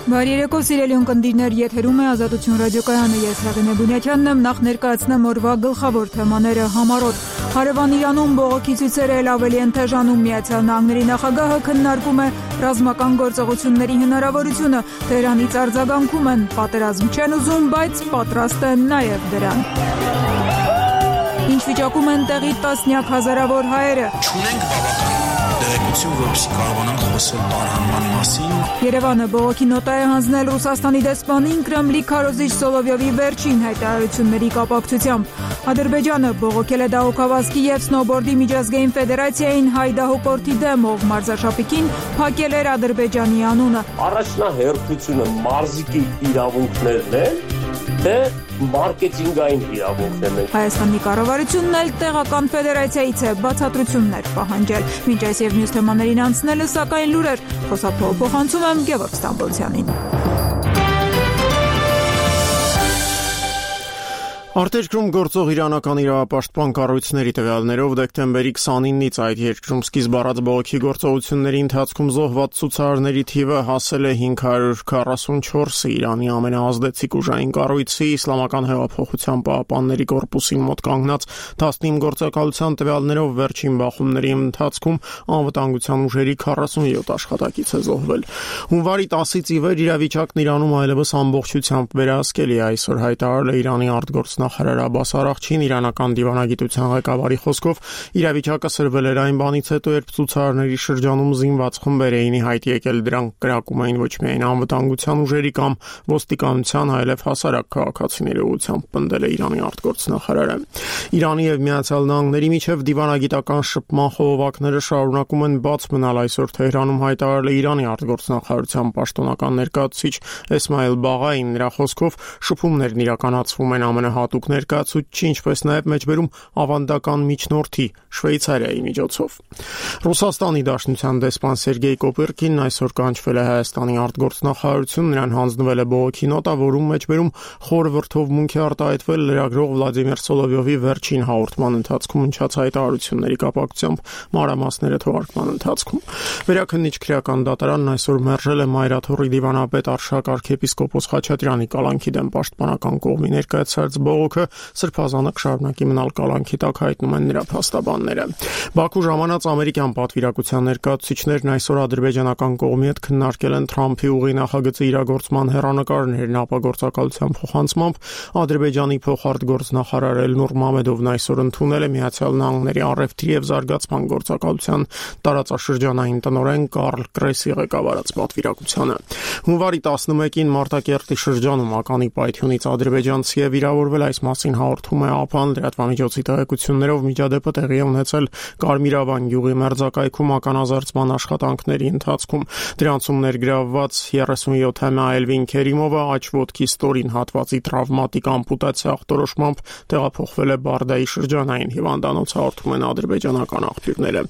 Բարի երեկո, սիրելի ունկնդիրներ, եթերում է Ազատություն ռադիոկայանը, ես Հեղինե Բունյակյանն եմ, նախ ներկայացնեմ օրվա գլխավոր թեմաները համառոտ։ Հարևան Իրանում բողոքի ցույցերը էլ ավելի են թեժանում, Միացյալ Նահանգների նախագահը քննարկում է ռազմական գործողությունների հնարավորությունը, Թեհրանից արձագանքում են, պատերազմ չեն ուզում, բայց պատրաստ են նաև դրան։ Ինչ վիճակում են տեղի տասնյակ հազարավոր հայերը։ Չունենք բավական տեղեկություն, որպեսզի կարողանանք խոսել տարհանման մասին։ Երևանը բողոքի նոտա է հանձնել Ռուսաստանի դեսպանին Կրեմլի քարոզիչ Սոլովյովի վերջին հայտարարությունների կապակցությամբ։ Ադրբեջանը բողոքել է դահուկավազքի և սնոուբորդի միջազգային ֆեդերացիային հայ դահուկորդի դեմ, ով մարզաշապիկին փակել էր Ադրբեջանի անունը։ Առաջնահերթությունը մարզիկի իրավունքներն են, թե մարքեթինգային իրավունքներն են։ Հայաստանի կառավարությունն էլ տեղական ֆեդերացիայից է բացատրություններ պահանջել։ Մինչ այս և մյուս թեմաներին անցնելը, սակայն լուրեր, խոսափողը փոխանցում եմ Գևորգ Ստամբոլցյանին։ Արտերկրում գործող իրանական իրավապաշտպան կառույցների տվյալներով դեկտեմբերի 29-ից այդ երկրում սկիզբ առած բողոքի գործողությունների ընթացքում զոհված ցուցարարների թիվը հասել է 544-ի, Իրանի ամենաազդեցիկ ուժային կառույցի Իսլամական հեղափոխության պահապանների կորպուսին մոտ կանգնած 19 գործակալության տվյալներով վերջին բախումների ընթացքում անվտանգության ուժերի 47 աշխատակից է զոհվել։ Հունվարի 10-ից ի վեր իրավիճակն Իրանում այլևս ամբողջությամբ վերահսկելի է, այսօր հայտարարել է Իրանի արտգործնախարար Աբբաս Արաղչին, իրանական դիվանագիտության ղեկավարի խոսքով իրավիճակը սրվել էր այն բանից հետո, երբ ցուցարարների շրջանում զինված խմբեր էին ի հայտ եկել, դրանք կրակում էին ոչ միայն անվտանգության ուժերի կամ ոստիկանության, այլև հասարակ քաղաքացիների ուղղությամբ, պնդել է Իրանի արտգործնախարարը։ Իրանի և Միացյալ Նահանգների միջև դիվանագիտական շփման խողովակները շարունակում են բաց մնալ, այսօր Թեհրանում հայտարարել է Իրանի արտգործնախարարության պաշտոնական ներկայացուցիչ Էսմայիլ Բաղային, նրա խոսքով շփումներն իրականացվում են ամենահատուկ ներկայացուցչի, ինչպես նաև մեջբերում ավանդական միջնորդի Շվեյցարիայի միջոցով։ Ռուսաստանի Դաշնության դեսպան Սերգեյ Կոպերկինն այսօր կանչվել է Հայաստանի արտգործնախարարություն, նրան հանձնվել է բողոքի նոտա, որում մեջբերում խոր վրդովմունք է արտահայտվել լրագրող Վլադիմիր Սոլովյովի վերջին հաղորդման ընթացքում հնչած հայտարարությունների կապակցությամբ, մանրամասները թողարկման ընթացքում։ Վերաքննիչ քրեական դատարանն այսօր մերժել է Մայրաթոռի դիվանապետ Արշակ arczepiskopos Խաչատրյանի կալանքի դեմ պաշտպանական կողմի ներկայացրած բողոքը, սրբազանը կշարունակի մնալ կալանքի տակ, հայտնում են նրա փաստաբանները։ Բաքու ժամանած ամերիկյան պատվիրակության ներկայացուցիչներն այսօր ադրբեջանական կողմի հետ քննարկել են Թրամփի ուղի նախագծի իրագործման հեռանկարներն ապագործակալության փոխանցմամբ, Ադրբեջանի փոխարտգործնախարար Էլնուր Մամեդովն այսօր ընդունել է Միացյալ Նահանգների առևտրի և զարգացման գործակալության տարածաշրջանային տնօրեն Կարլ Կրեսի ղեկավարած պատվիրակությանը։ Հունվարի 11-ին Մարտակերտի շրջանում ականի պայթյունից ադրբեջանցի է վիրավորվել, այս մասին հաղորդում է ԱՊԱ-ն, լրատվամիջոցի տեղեկություններով միջադեպը տեղի է ունեցել Կարմիրավան գյուղի մերձակայքում ականազերծման աշխատանքների ընթացքում։ Դրանցում ներգրավված 37-ամյա Էլվին Քերիմովը աջ ոտքի ստորին հատվածի տրավմատիկ ամպուտացիա ախտորոշմամբ տեղափոխվել է Բարդայի շրջանային հիվանդանոց, հաղորդում են ադրբեջանական աղբյուրները։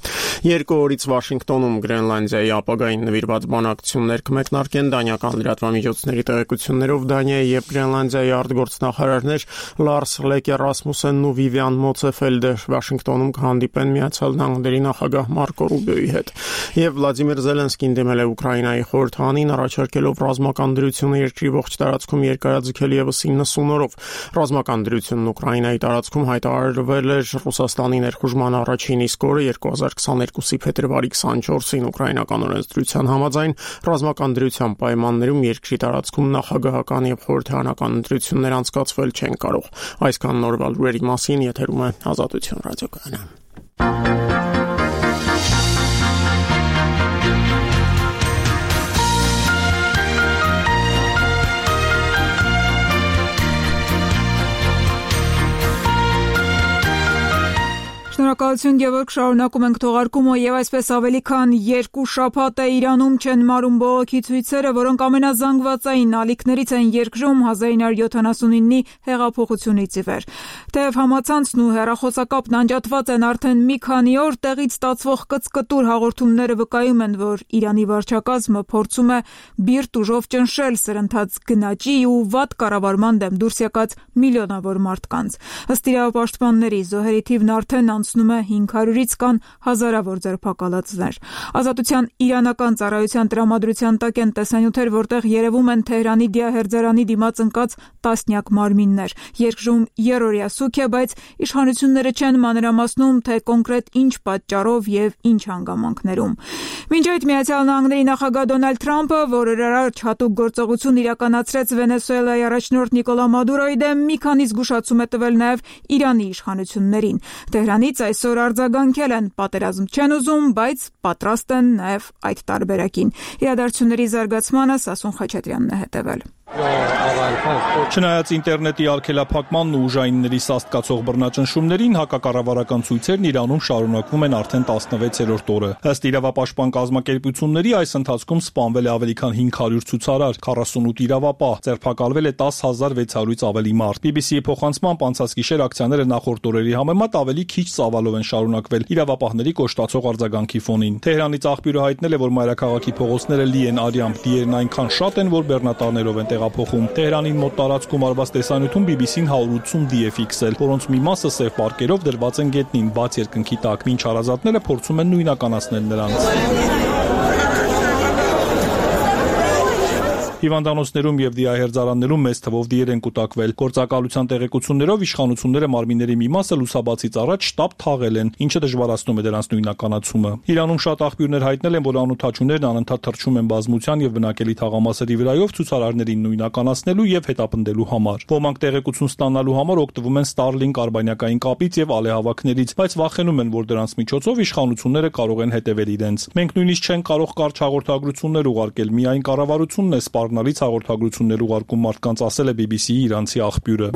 Երկու օրից Վաշինգտոնում Գրենլանդիայի ապագային նվիրված բանակցություններ կմեկնարկեն, դանիական լրատվամիջոցների տեղեկություններով Դանիայի և Գրենլանդիայի արտգործնախարարներ Լարս Լեկե Ռասմուսենն ու Վիվիան Մոցեֆելդը Վաշինգտոնում կհանդիպեն Միացյալ Նահանգների նախագահ Մարկո Ռուբիոյի հետ։ Եվ Վլադիմիր Զելենսկին դիմել է Ուկրաինայի խորհրդարանին, առաջարկելով ռազմական դրությունը երկրի ողջ տարածքում երկարաձգել ևս 90 օրով։ Ռազմական դրությունն Ուկրաինայի տարածքում հայտարարվել էր Ռուսաստանի ներխուժման առաջին իսկ օրը 2022-ի փետրվարի 24-ին ուկրաինական օրենսդրության համաձայն ռազմական դրության պայմաններում երկրի տարածքում նախագահական և խորհրդարանական ընտրություններ անցկացվել չեն կարող։ Այսքան նորվա լուրերի մասին եթերում է Ազատություն ռադիոկայանը։ Շնորհակալություն Գևորգ, շարունակում ենք թողարկումը եւ այսպես ավելի քան 2 շաբաթ է Իրանում չեն մարում բողոքի ցույցերը, որոնք ամենազանգվածային ալիքներից են երկրում 1979-ի հեղափոխությունից ի վեր։ Թեև համացանցն ու հեռախոսակապն անջատված են արդեն մի քանի օր, տեղից ստացվող կծկտուր հաղորդումները վկայում են, որ Իրանի վարչակազմը փորձում է բիրտ ուժով ճնշել սրընթաց գնաճի ու վատ կառավարման դեմ դուրս եկած միլիոնավոր մարդկանց։ Ըստ իրավապաշտպանների, զոհերի թիվն արդեն անցնում ասում է 500-ից կան հազարավոր ձերբակալածներ։ Ազատության իրանական ծառայության տրամադրության տակ են տեսանյութեր, որտեղ երևում են Թեհրանի դիահերձարանի դիմաց ընկած տասնյակ մարմիններ։ Երկրում երրորդյա սուք է, բայց իշխանությունները չեն մանրամասնում, թե կոնկրետ ինչ պատճառով եւ ինչ հանգամանքներում։ Մինչ այդ Միացյալ Նահանգների նախագահ Դոնալդ Թրամփը, որ առաջ հատուկ գործողություն իրականացրեց Վենեսուելայի առաջնորդ Նիկոլա Մադուրոյի դեմ, մի քանի զգուշացում է տվել նաեւ Իրանի իշխանություններին։ Թեհրանից այսօր արձագանքել են, պատերազմ չեն ուզում, բայց պատրաստ են նաեւ այդ տարբերակին։ Իրադարձությունների զարգացմանը Սասուն Խաչատրյանն է հետևել։ Չնայած ինտերնետի արգելափակմանն ու ուժայինների սաստկացող բռնաճնշումներին, հակակառավարական ցույցերն Իրանում շարունակվում են արդեն 16-րդ օրը։ Ըստ իրավապաշտպան կազմակերպությունների, այս ընթացքում սպանվել է ավելի քան 500 ցուցարար, 48 իրավապահ, ձերբակալվել է 10,600-ից ավելի մարդ։ BBC-ի փոխանցմամբ անցած գիշեր ակցիաները նախորդ օրերի համեմատ ավելի քիչ ծավալով են շարունակվել իրավապահների կոշտացող արձագանքի ֆոնին։ Թեհրանից աղբյուրը հայտնել է, որ մայրաքաղաքի փողոցները լի են արյամբ, դիերն այնքան շատ են, որ բեռնատարներով են տեղափոխում։ Թեհրանին մոտ տարածքում արված տեսանյութում BBC-ն 180 դի է ֆիքսել, որոնց մի մասը սև պարկերով դրված են գետնին, բաց երկնքի տակ, մինչ հարազատները փորձում են նույնականացնել նրանց։ Հիվանդանոցներում եւ դիահերձարաններում մեծ թվով դիեր են կուտակվել։ Գործակալության տեղեկություններով իշխանությունները մարմինների մի մասը լուսաբացից առաջ շտապ թաղել են, ինչը դժվարացնում է դրանց նույնականացումը։ Իրանում շատ աղբյուրներ հայտնել են, որ անօթաչուներն անընդհատ թռչում են բազմության եւ բնակելի թաղամասերի վրայով ցուցարարներին նույնականացնելու եւ հետապնդելու համար։ Ոմանք տեղեկություն ստանալու համար օգտվում են Starlink արբանյակային կապից եւ ալեհավաքներից, բայց վախենում են, որ դրանց միջոցով իշխանությունները կարող են հետևել իրենց։ Մենք նույնիսկ չենք կարող կարճ հաղորդագրություններ ուղարկել, միայն կառավարությունն է սպառնալից հաղորդագրություններ ուղարկում մարդկանց, ասել է BBC-ի իրանցի աղբյուրը։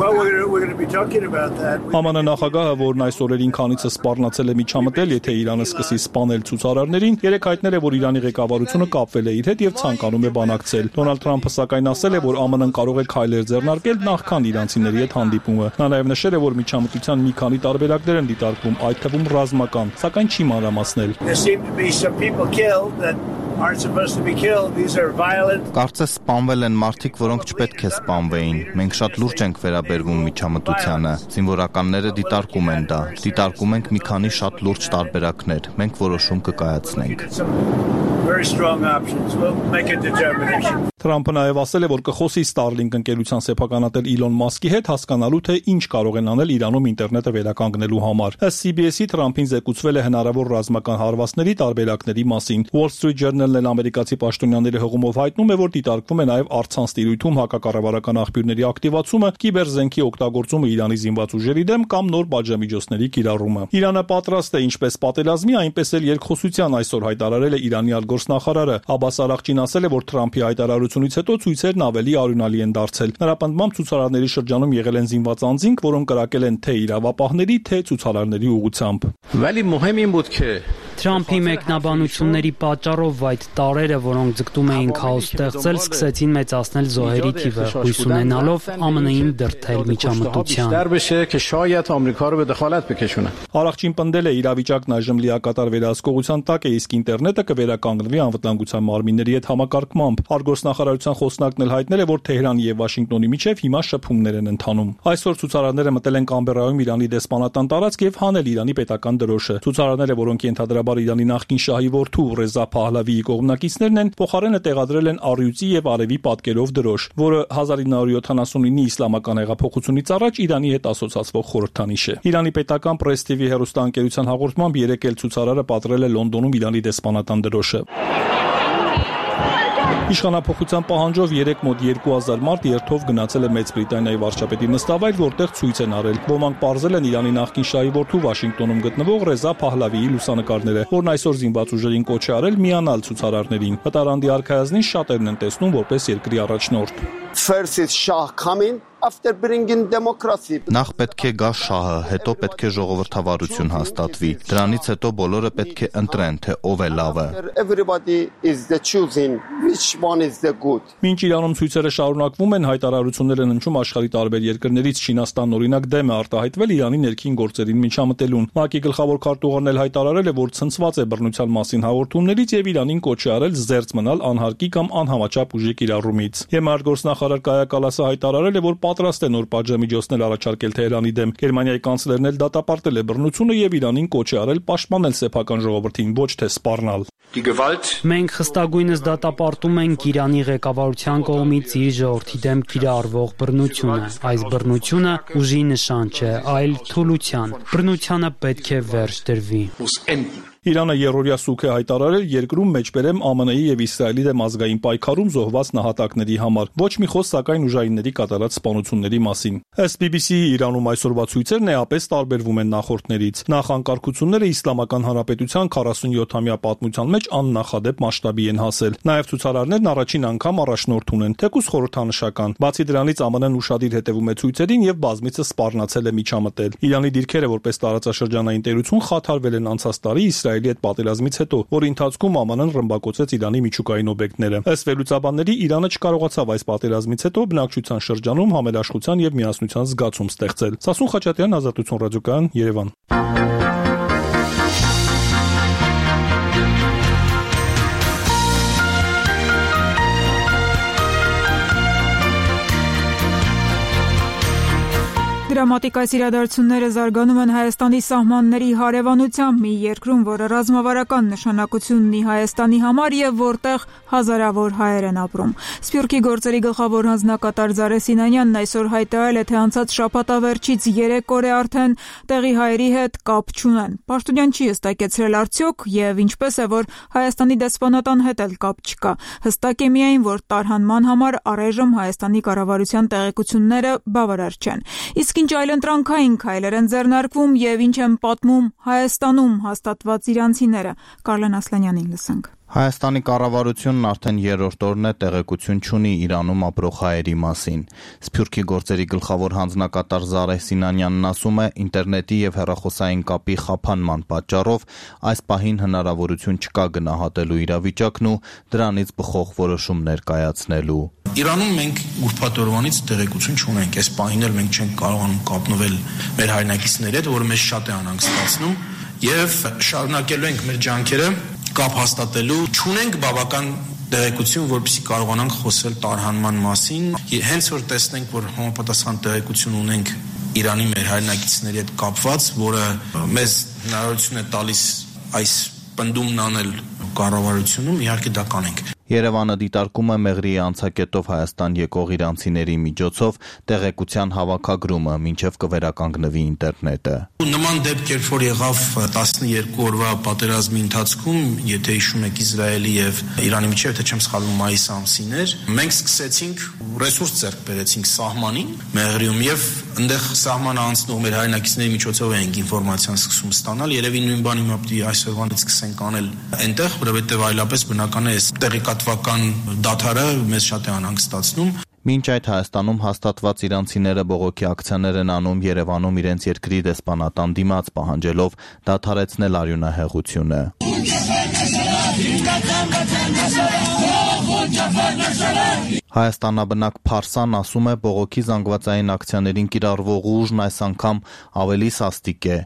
ԱՄՆ նախագահը, որն այս օրերին քանիցը սպառնացել է միջամտել, եթե Իրանը սկսի սպանել ցուցարարներին, երեք հայտնել է, որ Իրանի ղեկավարությունը կապվել է իր հետ եւ ցանկանում է բանակցել։ Դոնալդ Թրամփը սակայն ասել է, որ ԱՄՆ-ն կարող է քայլեր ձեռնարկել նախքան իրանցիների հետ հանդիպումը։ Նա նաեւ նշել է, որ միջամտության մի քանի տարբերակներ են դիտարկվում, այդ թվում ռազմական, սակայն չի մանրամասնել։ Կարծես սպանվել են մարդիկ, որոնք չպետք է սպանվեին։ Մենք շատ լուրջ ենք վերաբերվում միջամտությանը։ Զինվորականները դիտարկում են դա։ Դիտարկում ենք մի քանի շատ լուրջ տարբերակներ։ Մենք որոշում կկայացնենք։ Թրամփը նաև ասել է, որ կխոսի Starlink ընկերության սեփականատեր Իլոն Մասկի հետ հասկանալու, թե ինչ կարող են անել Իրանում ինտերնետը վերականգնելու համար։ Ըստ CBS-ի Թրամփին զեկուցվել է հնարավոր ռազմական հարվածների տարբերակների մասին։ Wall Street Journal-ն էլ ամերիկացի պաշտոնյաների հղումով հայտնում է, որ դիտարկվում է նաև առցանց տիրույթում հակակառավարական աղբյուրների ակտիվացումը, կիբերզենքի օգտագործումը Իրանի զինված ուժերի դեմ կամ նոր պատժամիջոցների կիրառումը։ Իրանը պատրաստ է ինչպես պատերազմի, այնպես էլ երկխոսության, այսօր հայտարարել է Իրանի արտգործնախարարը։ Աբբաս Արաղչին ասել է, որ Թրամփի հայտարարությունից հետո ցույցերն ավելի արյունալի են դարձել։ Նրա պնդմամբ ցուցարարների շրջանում եղել են զինված անձինք, որոնք կրակել են թե իրավապահների, թե ցուցարարների ուղղությամբ։ Թրամփի մեկնաբանությունների պատճառով այդ տարրերը, որոնք ձգտում էին քաոս ստեղծել, սկսեցին մեծացնել զոհերի թիվը, հույս ունենալով ԱՄՆ-ին դրդել միջամտության։ Արաղչին պնդել է, իրավիճակն այժմ լիակատար վերահսկողության տակ է, իսկ ինտերնետը կվերականգնվի անվտանգության մարմինների հետ համակարգմամբ։ Արտգործնախարարության խոսնակն էլ հայտնել է, որ Թեհրանի եւ Վաշինգտոնի միջև հիմա շփումներ են ընթանում։ Այսօր ցուցարարները մտել են Կամբերայում Իրանի դեսպանատան տարածք եւ հանել Իրանի պետական դրոշը։ Ցուցարարները, որոնք ենթադրաբար Իրանի նախկին շահի որդու Ռեզա Փահլավիի կողմնակիցներն են, փոխարենը տեղադրել են առյուծի եւ արևի պատկերով դրոշ, որը 1979-ի իսլամական հեղափոխությունից առաջ Իրանի հետ ասոցացվող խորհրդանիշ է։ Իրանի պետական Press TV հեռուստաընկերության հաղորդմամբ երեկ էլ ցուցարարը պատրել է Լոնդոնում Իրանի դեսպանատան դրոշը։ Իշխանափոխության պահանջով 3 մոտ 2000 մարդ երթով գնացել է Մեծ Բրիտանիայի վարչապետի նստավայր, որտեղ ցույց են արել։ Ոմանք պարզել են Իրանի նախկին շահի որդու Վաշինգտոնում գտնվող Ռեզա Փահլավիի լուսանկարները, որն այսօր զինված ուժերին կոչ է արել միանալ ցուցարարներին։ Վտարանդի արքայազնին շատերն են տեսնում որպես երկրի առաջնորդ։ Նախ պետք է գա շահը, հետո պետք է ժողովրդավարություն հաստատվի։ Դրանից հետո բոլորը պետք է ընտրեն, թե ով է լավը։ Մինչ Իրանում ցույցերը շարունակվում են, հայտարարություններ են հնչում աշխարհի տարբեր երկրներից։ Չինաստանն օրինակ դեմ է արտահայտվել Իրանի ներքին գործերին միջամտելուն։ ՄԱԿ-ի գլխավոր քարտուղարն էլ հայտարարել է, որ ցնցված է բռնության մասին հաղորդումներից եւ Իրանին կոչ է արել զերծ մնալ անհարկի կամ անհամաչափ ուժի կիրառումից։ ԵՄ արտգործնախարար Կայա Կալասը հայտարարել է, որ պատրաստ է նոր պատժամիջոցներ առաջարկել Թեհրանի դեմ։ Գերմանիայի կանցլերն էլ դատապարտել է բռնությունը եւ Իրանին կոչ է արել պաշտպանել սեփական ժողովրդին, ոչ թե սպառնալ։ Մենք խստագույնս դատապարտում ենք Իրանի ղեկավարության կողմից իր ժողովրդի դեմ կիրառվող բռնությունը։ Այս բռնությունը ուժի նշան չէ, այլ թուլության։ Բռնությանը պետք է վերջ դրվի։ Իրանը երրորդյա սուք է հայտարարել երկրում մեջբերեմ ԱՄՆ-ի եւ Իսրայելի դեմ ազգային պայքարում զոհված նահատակների համար։ Ոչ մի խոսք սակայն ուժայինների կատարած սպանությունների մասին։ Ըստ BBC-ի Իրանում այսօրվա ցույցերն էապես տարբերվում են նախորդներից։ Նախ անկարգությունները Իսլամական Հանրապետության 47-ամյա պատմության մեջ աննախադեպ մասշտաբի են հասել։ Նաեւ ցուցարարներն առաջին անգամ առաջնորդ ունեն, թեկուզ խորհրդանշական։ Բացի դրանից ԱՄՆ-ն ուշադիր հետևում է ցույցերին եւ բազմիցս սպառնացել է միջամտել։ Իրանի դիրքերը որպես տարածաշրջանային տերություն խաթարվել են անցած տարի Իսրայելի հետ պատերազմից հետո, որի ընթացքում ԱՄՆ-ն ռմբակոծեց Իրանի միջուկային օբյեկտները։ Ըստ վերլուծաբանների Իրանը չկարողացավ այս պատերազմից հետո բնակչության շրջանում համերաշխության եւ միասնության զգացում ստեղծել։ Սասուն Խաչատրյան, Ազատություն ռադիոկայան, Երևան։ Դրամատիկ այս իրադարձությունները զարգանում են Հայաստանի սահմանների հարևանությամբ մի երկրում, որը ռազմավարական նշանակություն ունի Հայաստանի համար եւ որտեղ հազարավոր հայեր են ապրում։ Սփյուռքի գործերի գլխավոր հանձնակատար Զարե Սինանյանն այսօր հայտարարել է, թե անցած շաբաթավերջից 3 օր է արդեն տեղի հայերի հետ կապ չունեն։ Պաշտոնյան չի հստակեցրել արդյոք եւ ինչպես է, որ Հայաստանի դեսպանատան հետ էլ կապ չկա։ Հստակ է միայն, որ տարհանման համար առայժմ Հայաստանի կառավարության տեղեկությունները բավարար չեն։ Իսկ ինչ այլընտրանքային քայլեր են ձեռնարկվում եւ ինչ են պատմում Հայաստանում հաստատված իրանցիները։ Կարլեն Ասլանյանին լսենք։ Հայաստանի կառավարությունն արդեն երրորդ օրն է տեղեկություն չունի Իրանում ապրող հայերի մասին։ Սփյուռքի գործերի գլխավոր հանձնակատար Զարե Սինանյանն ասում է, ինտերնետի եւ հեռախոսային կապի խափանման պատճառով այս պահին հնարավորություն չկա գնահատելու իրավիճակն ու դրանից բխող որոշումներ կայացնելու։ Իրանում մենք ուրբաթ օրվանից տեղեկություն չունենք, այս պահին էլ մենք չենք կարողանում կապնվել մեր հայրենակիցների հետ, որը մեզ շատ է անհանգստացնում եւ շարունակելու ենք մեր ջանքերը կապ հաստատելու, չունենք բավական տեղեկություն, որպեսզի կարողանանք խոսել տարհանման մասին։ Հենց որ տեսնենք, որ համապատասխան տեղեկություն ունենք Իրանի մեր հայրենակիցների հետ կապված, որը մեզ հնարավորություն է տալիս այս պնդումն անել կառավարությունում, իհարկե դա կանենք։ Երևանը դիտարկում է Մեղրիի անցակետով Հայաստան եկող իրանցիների միջոցով տեղեկության հավաքագրումը, մինչև կվերականգնվի ինտերնետը։ Նման դեպք երբ որ եղավ 12 օրվա պատերազմի ընթացքում, եթե հիշում եք Իսրայելի եւ Իրանի միջև, թե չեմ սխալվում, մայիս ամսին էր, մենք սկսեցինք ռեսուրս ձեռք բերեցինք սահմանին Մեղրիում եւ այնտեղ սահմանը անցնող մեր հայրենակիցների միջոցով ենք ինֆորմացիան սկսում ստանալ, երևի նույն բանը հիմա պիտի այսօրվանից սկսենք անել այնտեղ, որովհետեւ այլապես բնական է տեղեկատվական դադարը մեզ շատ է անհանգստացնում։ Մինչ այդ Հայաստանում հաստատված իրանցիները բողոքի ակցիաներ են անում Երևանում իրենց երկրի դեսպանատան դիմաց պահանջելով դադարեցնել արյունահեղությունը։ Հայաստանաբնակ Փարսան ասում է, բողոքի զանգվածային ակցիաներին կիրառվող ուժն այս անգամ ավելի սաստիկ է։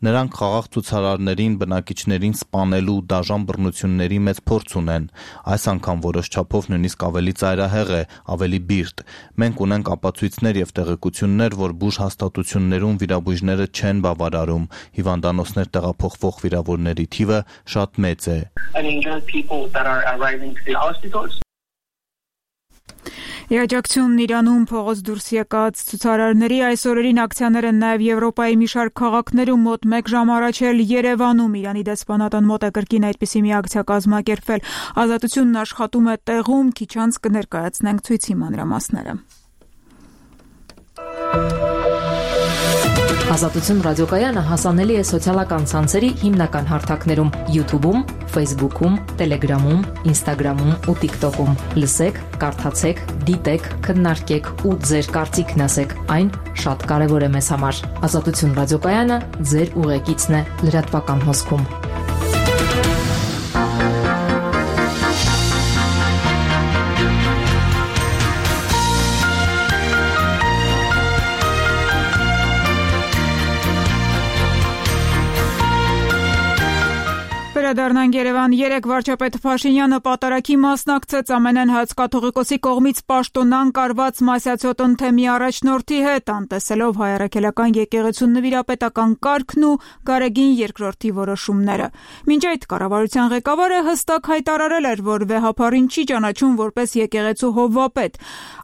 Նրանք խաղաղ ցուցարարներին, բնակիչներին սպանելու դաժան բռնությունների մեծ փորձ ունեն։ Այս անգամ որոշ չափով նույնիսկ ավելի ծայրահեղ է, ավելի բիրտ։ Մենք ունենք ապացույցներ եւ տեղեկություններ, որ բուժ հաստատություններում վիրաբույժները չեն բավարարում։ Հիվանդանոցներ տեղափոխվող վիրավորների թիվը շատ մեծ է։ Երջակցությունն Իրանում փողոց դուրս եկած ցուցարարների այս օրերին ակցիաներ են նաև Եվրոպայի մի շարք քաղաքներում մոտ 1 ժամ առաջ էլ Երևանում Իրանի դեսպանատան մոտ է կրկին այդպիսի մի ակցիա կազմակերպվել։ Ազատությունն աշխատում է տեղում, քիչ անց կներկայացնենք ցույցի մանրամասները։ Ազատություն ռադիոկայանը հասանելի է սոցիալական ցանցերի հիմնական հարթակներում՝ YouTube-ում, Facebook-ում, Telegram-ում, Instagram-ում ու TikTok-ում։ Լսեք, կարդացեք, դիտեք, քննարկեք ու ձեր կարծիքն ասեք։ Այն շատ կարևոր է մեզ համար։ Ազատություն ռադիոկայանը ձեր ուղեկիցն է լրատվական հոսքում։ Վերադառնանք Երևան։ Երեկ վարչապետ Փաշինյանը պատարագի մասնակցեց ԱՄՆ հայ-կաթողիկոսի կողմից պաշտոնան կարված Մասյացյոտ թեմի առաջնորդի հետ, անտեսելով հայ առաքելական եկեղեցու նվիրապետական կարգն ու Գարեգին II որոշումները։ Մինչ այդ կառավարության ղեկավարը հստակ հայտարարել էր, որ վեհափառին չի ճանաչում որպես եկեղեցու հովվապետ։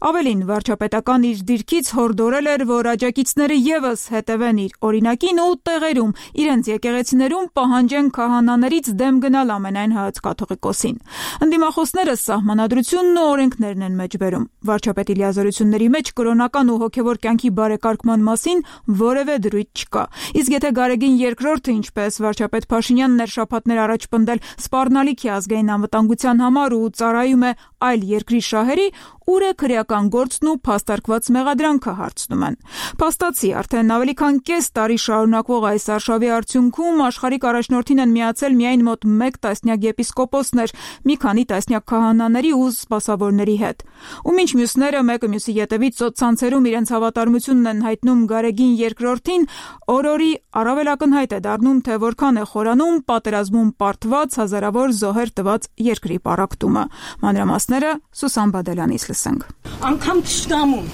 Ավելին, վարչապետական իր դիրքից հորդորել էր, որ աջակիցները ևս հետևեն իր օրինակին ու տեղերում իրենց եկեղեցիներում պահանջեն քահանաներից դեմ գնալ ամենայն հայ-կաթողիկոսին։ Ընդդիմախոսները սահմանադրությունն ու օրենքներն են մեջբերում։ Վարչապետի լիազորությունների մեջ կրոնական ու հոգևոր կյանքի բարեկարգման մասին որևէ դրույթ չկա։ Իսկ եթե Գարեգին II-ը, ինչպես վարչապետ Փաշինյանն էր շաբաթներ առաջ պնդել, սպառնալիք է ազգային անվտանգության համար ու ծառայում է այլ երկրի շահերի, ուր է քրեական գործն ու փաստարկված մեղադրանքը հարցնում են։ Փաստացի, արդեն ավելի քան կես տարի շարունակվող այս արշավի արդյունքում աշխարհիկ առաջնորդին են միացել միայն մոտ 1 տասնյակ եպիսկոպոսներ, մի քանի տասնյակ քահանաների ու սպասավորների հետ։ Ու մինչ մյուսները մեկը մյուսի ետևից սոցցանցերում իրենց հավատարմությունն են հայտնում Գարեգին II-ին, օրորի առավել ակնհայտ է դառնում, թե որքան է խորանում պատերազմում պարտված հազարավոր զոհեր տված երկրի պառակտումը։ Մանրամասները Սուսան Բադելյանից լսենք։ Անկամ թշնամուն,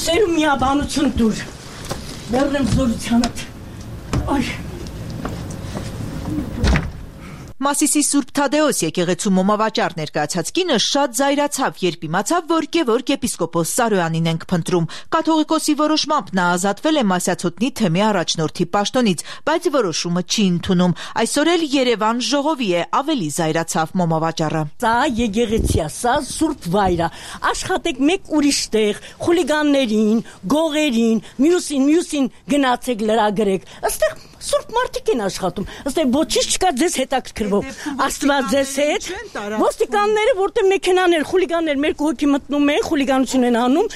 սերում միաբանություն դուր, վերնեմ զորությանդ, այ։ Մասիսի Սուրբ Թադեոս եկեղեցու մոմավաճառ ներկայացած կինը շատ զայրացավ, երբ իմացավ, որ Գևորգ եպիսկոպոս Սարոյանին ենք փնտրում։ Կաթողիկոսի որոշմամբ նա ազատվել է Մասյացոտնի թեմի առաջնորդի պաշտոնից, բայց որոշումը չի ընդունում։ Այսօր էլ Երևան ժողովի է, ավելի զայրացավ մոմավաճառը։ Սա եկեղեցի է, սա Սուրբ վայր է։ Աշխատեք մեկ ուրիշ տեղ, խուլիգաններին, գողերին, մյուսին գնացեք լրագրեք։ Այստեղ Սուրբ մարդիկ են աշխատում։ Այստեղ ոչինչ չկա ձեզ հետաքրքրվող։ Աստված ձեզ հետ։ Ոստիկանները, որտեղ մեքենաներ, խուլիգաններ մեր կողքի մտնում են, խուլիգանություն են անում,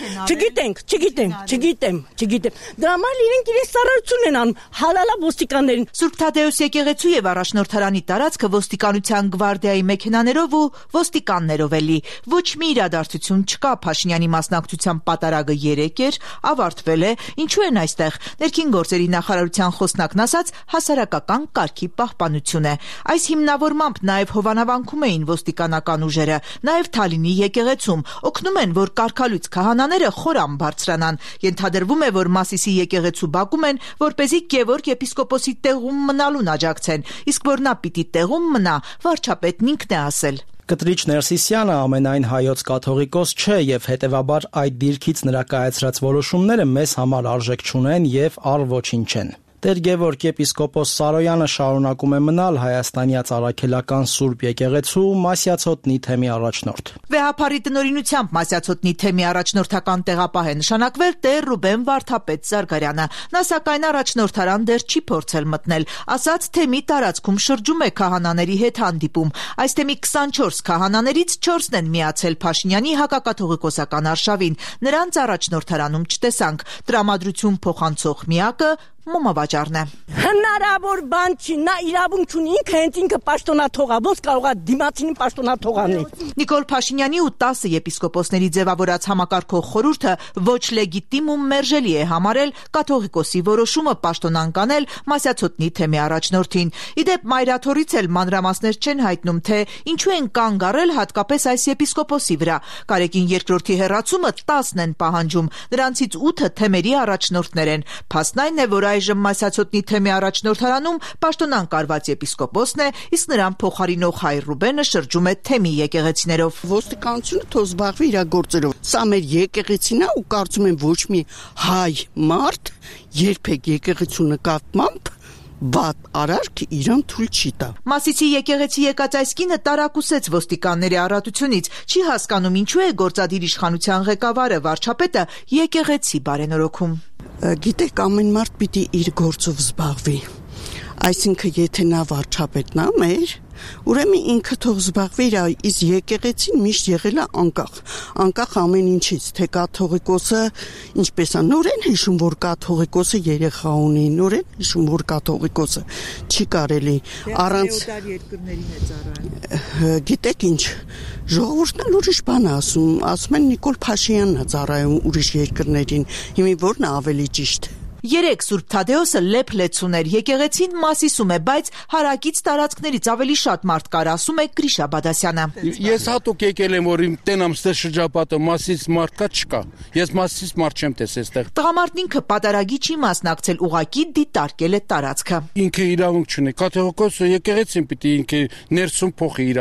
չգիտեմ։ Դրա համար իրենք իրենց ծառայություն են անում, հալալա ոստիկաններին։ Սուրբ Թադեոս եկեղեցու եւ առաջնորդարանի տարածքը ոստիկանության գվարդիայի մեքենաներով ու ոստիկաններով է լի։ Ոչ մի իրադարձություն չկա։ Փաշինյանի մասնակցության պատարագը 3 էր, ավարտվել է։ Ինչու են այստեղ։ Ներքին գործերի նախարարության խոսնակն հասարակական կարգի պահպանություն է։ Այս հիմնավորմամբ նաև հովանավանքում էին ոստիկանական ուժերը, նաև Թալինի եկեղեցում, օգնում են, որ կարգալույց քահանաները խորամ բարձրանան։ Ենթադրվում է, որ Մասիսի եկեղեցու բակում են, որպեսզի Գևորգ եպիսկոպոսի տեղում մնալուն աջակցեն, իսկ որ նա պիտի տեղում մնա, վարչապետն ինքն է ասել։ Կտրիչ Ներսիսյանը ամենայն հայոց կաթողիկոս չէ եւ հետեւաբար այդ դիրքից նրա կայացրած որոշումները մեզ համար արժեք չունեն եւ առ ոչինչ չեն։ Տեր Գևորգ եպիսկոպոս Սարոյանը շարունակում է մնալ Հայաստանի Արաքելական Սուրբ եկեղեցու Մասյացոտնի թեմի առաջնորդ։ Վեհափառի տնօրինությամբ Մասյացոտնի թեմի առաջնորդական տեղապահ է նշանակվել Տեր Ռուբեն Վարդապետ Զարգարյանը։ Նա սակայն առաջնորդարան դեռ չի փորձել մտնել, ասաց թեմի տարածքում շրջում է քահանաների հետ հանդիպում։ Այս թեմի 24 քահանաներից 4-ն են միացել Փաշինյանի հակակաթողիկոսական արշավին։ Նրանց առաջնորդարանում չտեսանք։ Տրամադրություն փոխանցող միակը մոմավաճառն է։ Հնարավոր բան չի, նա իրավունք ունի, ինքը պաշտոնաթող է, ոնց կարող է դիմացինին պաշտոնաթող անել։ Նիկոլ Փաշինյանի ու 10 եպիսկոպոսների ձևավորած համակարգող խորհուրդը ոչ լեգիտիմ ու մերժելի է համարել կաթողիկոսի որոշումը պաշտոնան կանել Մասյացոտնի թեմի առաջնորդին։ Իդեպ Մայրաթորից էլ մանրամասներ չեն հայտնում, թե ինչու են կանգ առել հատկապես այս եպիսկոպոսի վրա։ Գարեգին II-ի հեռացումը 10-ն են պահանջում, նրանցից 8-ը թեմերի առաջնորդներ են։ Փաստն այն է, որ այժմ Մասյացոտնի թեմի առաջնորդարանում պաշտոնան կարված եպիսկոպոսն է, իսկ նրան փոխարինող հայ Ռուբենը շրջում է թեմի եկեղեցիներով։ Ոստիկանությունը թող զբաղվի իր գործերով։ Սա մեր եկեղեցին է ու կարծում եմ ոչ մի հայ մարդ երբեք եկեղեցու նկատմամբ բադ արարք իրան թույլ չի տա։ Մասիսի եկեղեցի եկած այս կինը տարակուսեց ոստիկանների առատությունից, չի հասկանում ինչու է գործադիր իշխանության ղեկավարը վարչապետը եկեղեցի բարենորոգում։ Գիտեք, ամեն մարդ պիտի իր գործով զբաղվի։ Այսինքն եթե նա վարչապետն է մեր, ուրեմն ինքը թող զբաղվի իր, իսկ եկեղեցին միշտ եղել է անկախ ամեն ինչից, թե կաթողիկոսը ինչպես է, նորեն հիշում, որ կաթողիկոսը երեխա ունի, նորեն հիշում, որ կաթողիկոսը չի կարելի առանց գիտեք ինչ, ժողովուրդն էլ ուրիշ բան է ասում են Նիկոլ Փաշինյանն է ծառայում ուրիշ երկրներին, հիմա որն է ավելի ճիշտ։ Երեք Սուրբ Թադեոսը լեփ-լեցուն էր, եկեղեցին մասիսում է, բայց հարակից տարածքներից ավելի շատ մարդ կար, ասում է Գրիշա Բադասյանը։ Ես հատուկ եկել եմ, որ իմ տենամ ստեղ շրջապատը մասից մարդ կա չկա։ Ես մասից մարդ չեմ տեսել ստեղ։ Տղամարդն ինքը պատարագի չի մասնակցել, ուղղակի դիտարկել է տարածքը։ Ինքը իրավունք չունի։ Կաթողիկոսը եկեղեցին պիտի ինքը ներսում փոխի իր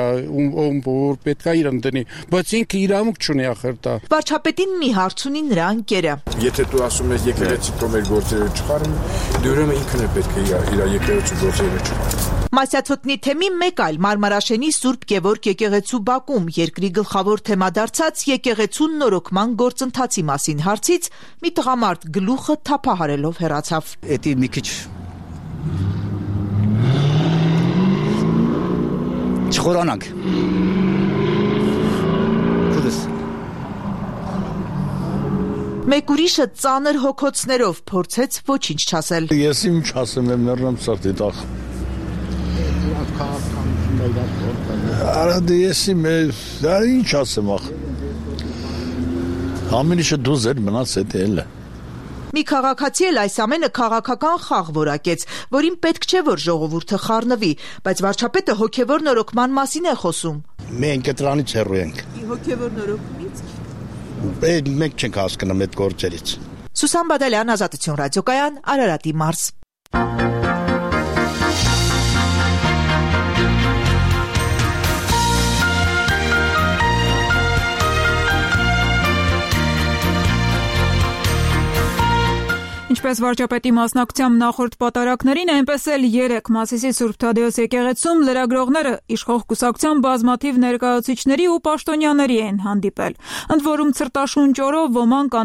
որ պետք է իրան դնի, բայց ինքը իրավունք չունի ախր դա։ Վարչապետին մի հարց ունի նրա ընկերը։ Եթե դու ասում ես եկեղեցի կողմեր գործերը չխարում, դու ուրեմն ինքն է պետք է իր եկեղեցու գործերը չխարի։ Մասյացոտնի թեմի մեկ այլ Մարմարաշենի Սուրբ Գևորգ եկեղեցու բակում երկրի գլխավոր թեմա դարձած եկեղեցու նորոգման գործընթացի մասին հարցից մի տղամարդ գլուխը թափահարելով հեռացավ։ Էդի մի քիչ չխորանանք։ Մեկ ուրիշը ծանր հոգոցներով փորձեց ոչինչ չասել։ Ես իմ չասեմ եմ ներնամ սրտի տախ։ Արա դե ես իմ ինչ ասեմ ախ։ Ամեն ինչը դու զեր մնաց էդ էլ է։ Մի քաղաքացի էլ այս ամենը քաղաքական խաղ որակեց, որին պետք չէ որ ժողովուրդը խառնվի, բայց վարչապետը հոգևոր նորոգման մասին է խոսում։ Մենք դրանից հեռու ենք։ Հոգևոր նորոգումից։ Մենք չենք հասկանում այդ գործերից։ Սուսան Բադալյան, Ազատություն ռադիոկայան, Արարատի մարզ։ Ինչպես վարչապետի մասնակցությամբ նախորդ պատարակներին, այնպես էլ 3 Մասիսի Սուրբ Թադեոս եկեղեցում լրագրողները իշխող կուսակցության բազմաթիվ ներկայացուցիչների ու պաշտոնյաների են հանդիպել։ Ընդ որում ցրտաշունչ օրով ոմանք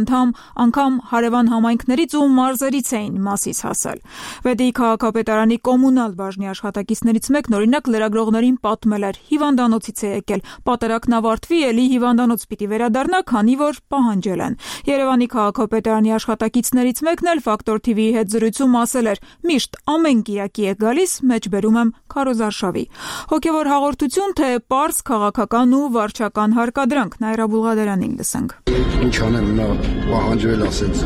անգամ հարևան համայնքներից ու մարզերից էին Մասիս հասել։ Վեդեի քաղաքապետարանի կոմունալ բաժնի աշխատակիցներից մեկն օրինակ լրագրողներին պատմել էր՝ հիվանդանոցից է եկել, պատարակն ավարտվի էլի հիվանդանոց պիտի վերադառնա, քանի որ պահանջել են։ Երևանի քաղաքապետարանի աշխատակիցներից մեկն Ֆակտոր TV-ի հետ զրույցում ասել էր. «Միշտ ամեն կիրակի է գալիս, մեջբերում եմ Քարոզ Արշավի»։ Հոգևոր հաղորդություն, թե պարզ քաղաքական ու վարչական հարկադրանք, Նաիրա Բուլղադարյանին լսենք։ Ինչ անեմ, նա պահանջվել ասեց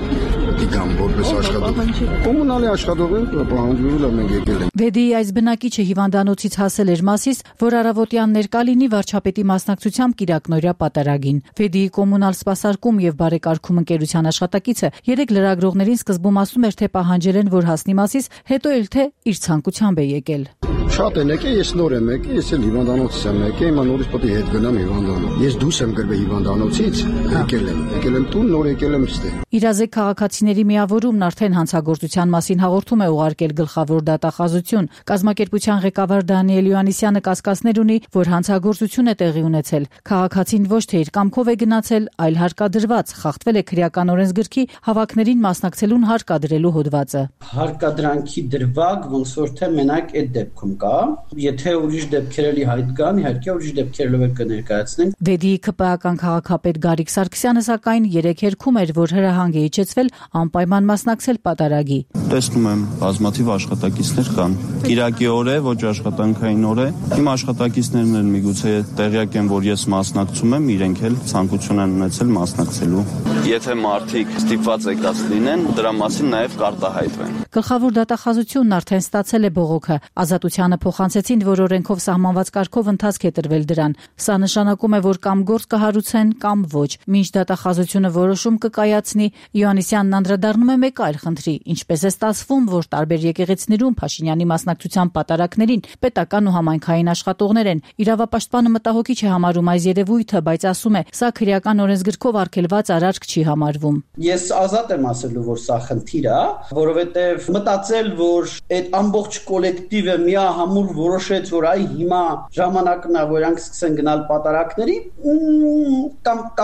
դիգամ որպես աշխատող։ Կոմունալի աշխատող են, պահանջվել մենք եկել ենք։ Վեդեի այս բնակիչը հիվանդանոցից հասել էր Մասիս, որ առավոտյան ներկա լինի վարչապետի մասնակցությամբ կիրակնօրյա պատարագին։ Վեդեի կոմունալ սպասարկում եւ բարեկարգում ընկերության աշխատակիցը 3 լրագրողներին սկզբում ասում էր, թե պահանջել են, որ հասնի Մասիս, հետո էլ թե իր ցանկությամբ է եկել։ Շատ են եկել, ես նոր եմ եկել, ես էլ հիվանդանոցից եմ եկել, հիմա նորից պետք է հետ գնամ հիվանդանոց։ Ես դուրս եմ գրվել հիվանդանոցից, եկել եմ տուն, նոր եկել եմ ստե։ Իրազեկ քաղաքացիների միավորումն արդեն հանցագործության մասին հաղորդում է ուղարկել գլխավոր դատախազություն։ Կազմակերպության ղեկավար Դանիել Յոհաննիսյանը կասկածներ ունի, որ հանցագործություն է տեղի ունեցել։ Քաղաքացին ոչ թե իր կամքով է գնացել, այլ հարկադրված, խախտվել է քրեական օրենսգրքի հավաքներին մասնակցելուն հարկադրելու հոդվածը։ Հարկադրանքի դրվագ ոնց որ թե մենակ այդ դեպքում կա, եթե ուրիշ դեպքեր էլի հայտ կան, իհարկե ուրիշ դեպքերով կներկայացնենք։ Վեդեի ԿՊԱ-ական քաղաքապետ Գարիկ Սարգսյանը սակայն 3 երգում էր, որ հրահանգ է իջեցվել անպայման մասնակցել պատարագի։ Տեսնում եմ, բազմաթիվ աշխատակիցներ կան։ Կիրակի օր է, ոչ աշխատանքային օր է։ Իմ աշխատակիցներն են միգուցե տեղյակ են, որ ես մասնակցում եմ, իրենք էլ ցանկություն են ունեցել մասնակցելու։ Եթե մարդիկ ստիպված եկած լինեն, դրա մասին նաև կարտահայտվեն։ Գլխավոր դատախազությունն արդեն ստացել է բողոքը։ Ազատությանը փոխանցեցին, որ օրենքով սահմանված կարգով ընթացք է տրվել դրան։ Սա նշանակում է, որ կամ գործ կհարուցեն, կամ ոչ։ Մինչ դատախազությունը որոշում կկայացնի, Յոհաննիսյանն անդրադառնում է մեկ այլ խնդրի, ինչպես է ստացվում, որ տարբեր եկեղեցիներում Փաշինյանի մասնակցության պատարակներին պետական ու համայնքային աշխատողներ են։ Իրավապաշտպանը մտահոգիչ է համարում այս երևույթը, բայց ասում է, սա քրեական օրենսգրքով արգելված արարք չի համարվում։ Ես ազատ եմ ասելու, որ սա խնդիր է, որովհետև մտածել, որ այդ ամբողջ կոլեկտիվը միահամուռ որոշեց, որ այ հիմա ժամանակն է, որ անք սկսեն գնալ պատարակների,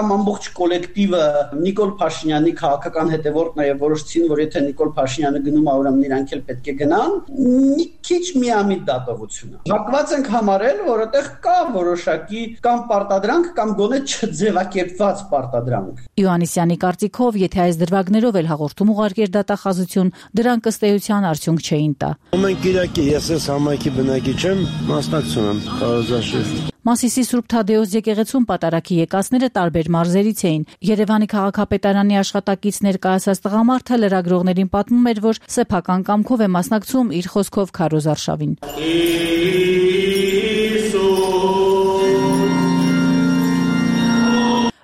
կամ ամբողջ կոլեկտիվը Նիկոլ Փաշինյանի քաղաքական հետևորդն է եւ որոշեցին, որ եթե Նիկոլ Փաշինյանը գնում է, ուրեմն իրանք էլ պետք է գնան, մի քիչ միամիտ դատողություն է։ Հակված ենք համարել, որ այդտեղ կա որոշակի կամ պարտադրանք կամ գոնե չձևակերպված պարտադրանք։ Յոհաննիսյանի կարծիքով, եթե այս դրվագներով էլ հաղորդում ուղարկեր դատախազություն, դրանք ըստ էության արդյունք չէին տա։ Ամեն կիրակի ես համայնքի բնակիչ եմ, մասնակցում եմ Քարոզ Արշավի։ Մասիսի Սուրբ Թադեոս եկեղեցում պատարագի եկածները տարբեր մարզերից էին։ Երևանի քաղաքապետարանի աշխատակից ներկայացած տղամարդը լրագրողներին պատմում էր, որ սեփական կամքով է մասնակցում իր խոսքով քարոզ արշավին։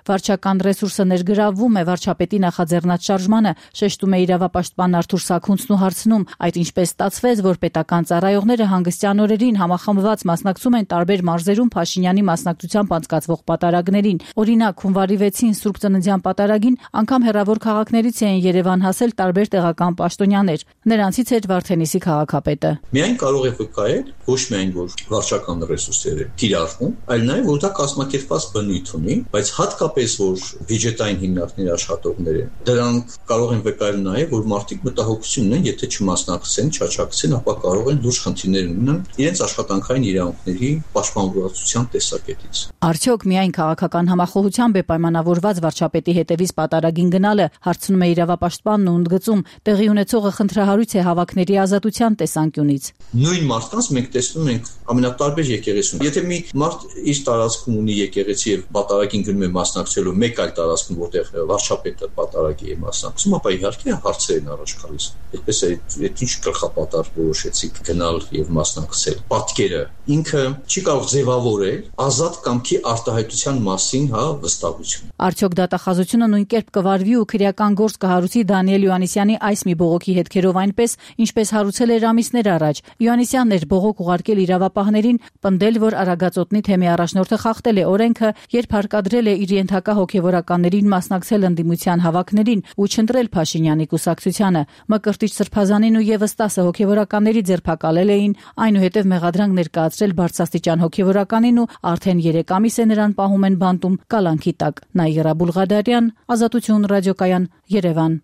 Վարչական ռեսուրսը ներգրավվում է վարչապետի նախաձեռնած շարժմանը, շեշտում է իրավապաշտպան Արթուր Սաքունցն ու հարցնում, այդ ինչպես ստացվեց, որ պետական ծառայողները հանգստյան օրերին համախմբված մասնակցում են տարբեր մարզերում Փաշինյանի մասնակցությամբ անցկացվող պատարագներին։ Օրինակ, հունվարի 6-ին Սուրբ Ծննդյան պատարագին անգամ հեռավոր քաղաքներից էին Երևան հասել տարբեր տեղական պաշտոնյաներ։ Նրանցից էր Վարդենիսի քաղաքապետը։ Միայն կարող է վկայել ոչ միայն որ վարչական ռեսուրսները կիրառվում, այլ նաև որ դա կազմակերպված բնույթ ունի, բայց հատկապես որ բյուջետային հիմնարկների աշխատողներ են, դրանք կարող են վկայել նաև, որ մարդիկ մտահոգություն ունեն, եթե չմասնակցեն, չաչակցեն, ապա կարող են լուրջ խնդիրներ ունենալ իրենց աշխատանքային իրավունքների պաշտպանվածության տեսակետից։ Արդյոք միայն քաղաքական համախոհությամբ է պայմանավորված վարչապետի հետևից պատարագին գնալը, հարցնում է իրավապաշտպանն ու ընդգծում, տեղի ունեցողը խնդրահարույց է հավաքների ազատության տեսանկյունից։ Նույն մարդկանց մենք տեսնում ենք ամենատարբեր եկեղեցում։ Եթե մի մարդ իր տարածքում ունի եկեղեցի եւ պատարագին գնում է մասնակցելու մեկ այլ տարածքում, որտեղ վարչապետը պատարագի է մասնակցում, ապա իհարկե հարցեր են առաջ գալիս։ Այդպես է, այդ ինչ գլխապատար որոշեցիք գնալ եւ մասնակցել։ Պատկերը ինքը չի կարող ձևավորել ազատ կամքի արտահայտության մասին, վստահություն։ Արդյոք դատախազությունը նույն կերպ կվարվի ու քրեական գործ կհարուցի Դանիել Յոհաննիսյանի այս մի բողոքի հետքերով այնպես, ինչպես հարուցել էր ամիսներ առաջ։ Յոհաննիսյանն էր բողոք ուղարկել իրավապահներին, պնդել, որ Արագածոտնի թեմի առաջնորդը խախտել է օրենքը, երբ հարկադրել է իր ենթակա հոգևորականներին մասնակցել ընդդիմության հավաքներին ու չընտրել Փաշինյանի կուսակցությանը։ Մկրտիչ Սրբազանին ու եւս 10 հոգևորականների ձերբակալել էին, այնուհետև մեղադրանք ներկայացրել բարձրաստիճան հոգևորականին ու արդեն 3 ամիս է նրան պահում են բանտում կալանքի տակ։ Նաիրա Բուլղադարյան, Ազատություն ռադիոկայան, Երևան։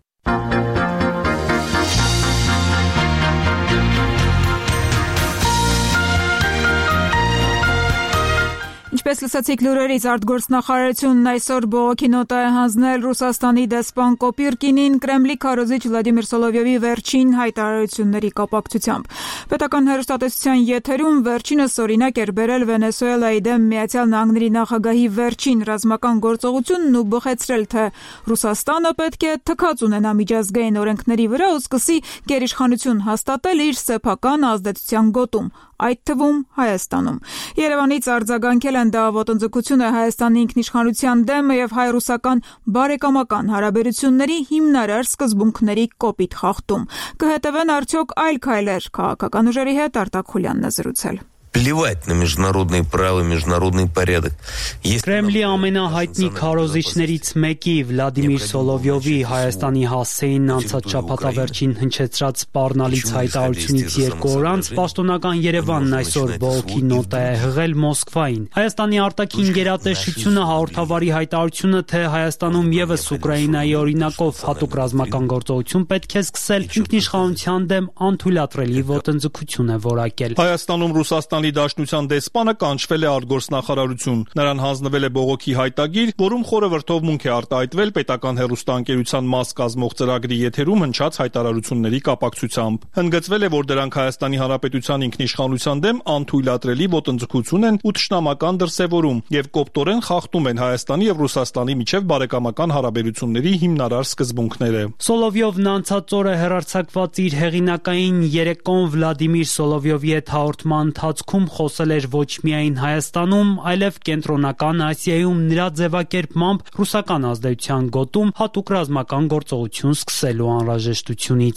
Ինչպես լսեցիք լուրերից, արտգործնախարարությունն այսօր բողոքի նոտա է հանձնել Ռուսաստանի դեսպան Կոպիրկինին Կրեմլի քարոզիչ Վլադիմիր Սոլովյովի վերջին հայտարարությունների կապակցությամբ։ Պետական հեռուստատեսության եթերում վերջինս օրինակ էր բերել Վենեսուելայի դեմ Միացյալ Նահանգների նախագահի վերջին ռազմական գործողությունն ու բխեցրել, թե Ռուսաստանը պետք է թքած ունենա միջազգային օրենքների վրա ու սկսի գերիշխանություն հաստատել իր սեփական ազդեցության գոտում, այդ թվում Հայաստանում։ Երևանից արձագանքել են դա ոտնձգություն է Հայաստանի ինքնիշխանության դեմ եւ հայ-ռուսական բարեկամական հարաբերությունների հիմնարար սկզբունքների կոպիտ խախտում։ Կհետևեն արդյոք այլ քայլեր քաղաքական ուժերի հետ Արտակ Խուլյանն է զրուցել։ Плевать на международные правила, международный порядок. Կրեմլի ամենահայտնի քարոզիչներից մեկի Վլադիմիր Սոլովյովի Հայաստանի հասցեին անցած շաբաթավերջին հնչեցրած սպառնալից հայտարարությունից 2 օր անց պաշտոնական Երևանն այսօր բողոքի նոտա է հղել Մոսկվային։ Հայաստանի արտաքին գերատեսչությունը հաղորդավարի հայտարարությունը, թե Հայաստանում եւս Ուկրաինայի օրինակով հատուկ ռազմական գործողություն պետք է սկսել, ինքնիշխանության դեմ անթույլատրելի ոտնձգություն է որակել։ Հայաստանում Ռուսաստանի Դաշնության դեսպանը կանչվել է արտգործնախարարություն։ Նրան հանձնվել է բողոքի հայտագիր, որում խորհրդովմունք է արտահայտվել պետական հեռուստաընկերության մաս կազմող ծրագրի եթերում հնչած հայտարարությունների կապակցությամբ։ Հնդգծվել է, որ դրանք Հայաստանի Հանրապետության ինքնիշխանության դեմ անթույլատրելի ոտնձգություն են ու թշնամական դրսևորում եւ կոպտորեն խախտում են Հայաստանի եւ Ռուսաստանի միջև բարեկամական հարաբերությունների հիմնարար սկզբունքները։ Սոլովյովն անցած օրը հեռարձակված իր հեղինակային երեկոն Վլադիմիր Սոլովյովի հետ հաղորդման ընթացքում խոսել էր ոչ միայն Հայաստանում, այլև Կենտրոնական Ասիայում նրա ձևակերպմամբ ռուսական ազդեցության գոտում հատուկ ռազմական գործողություն սկսելու անհրաժեշտությունից։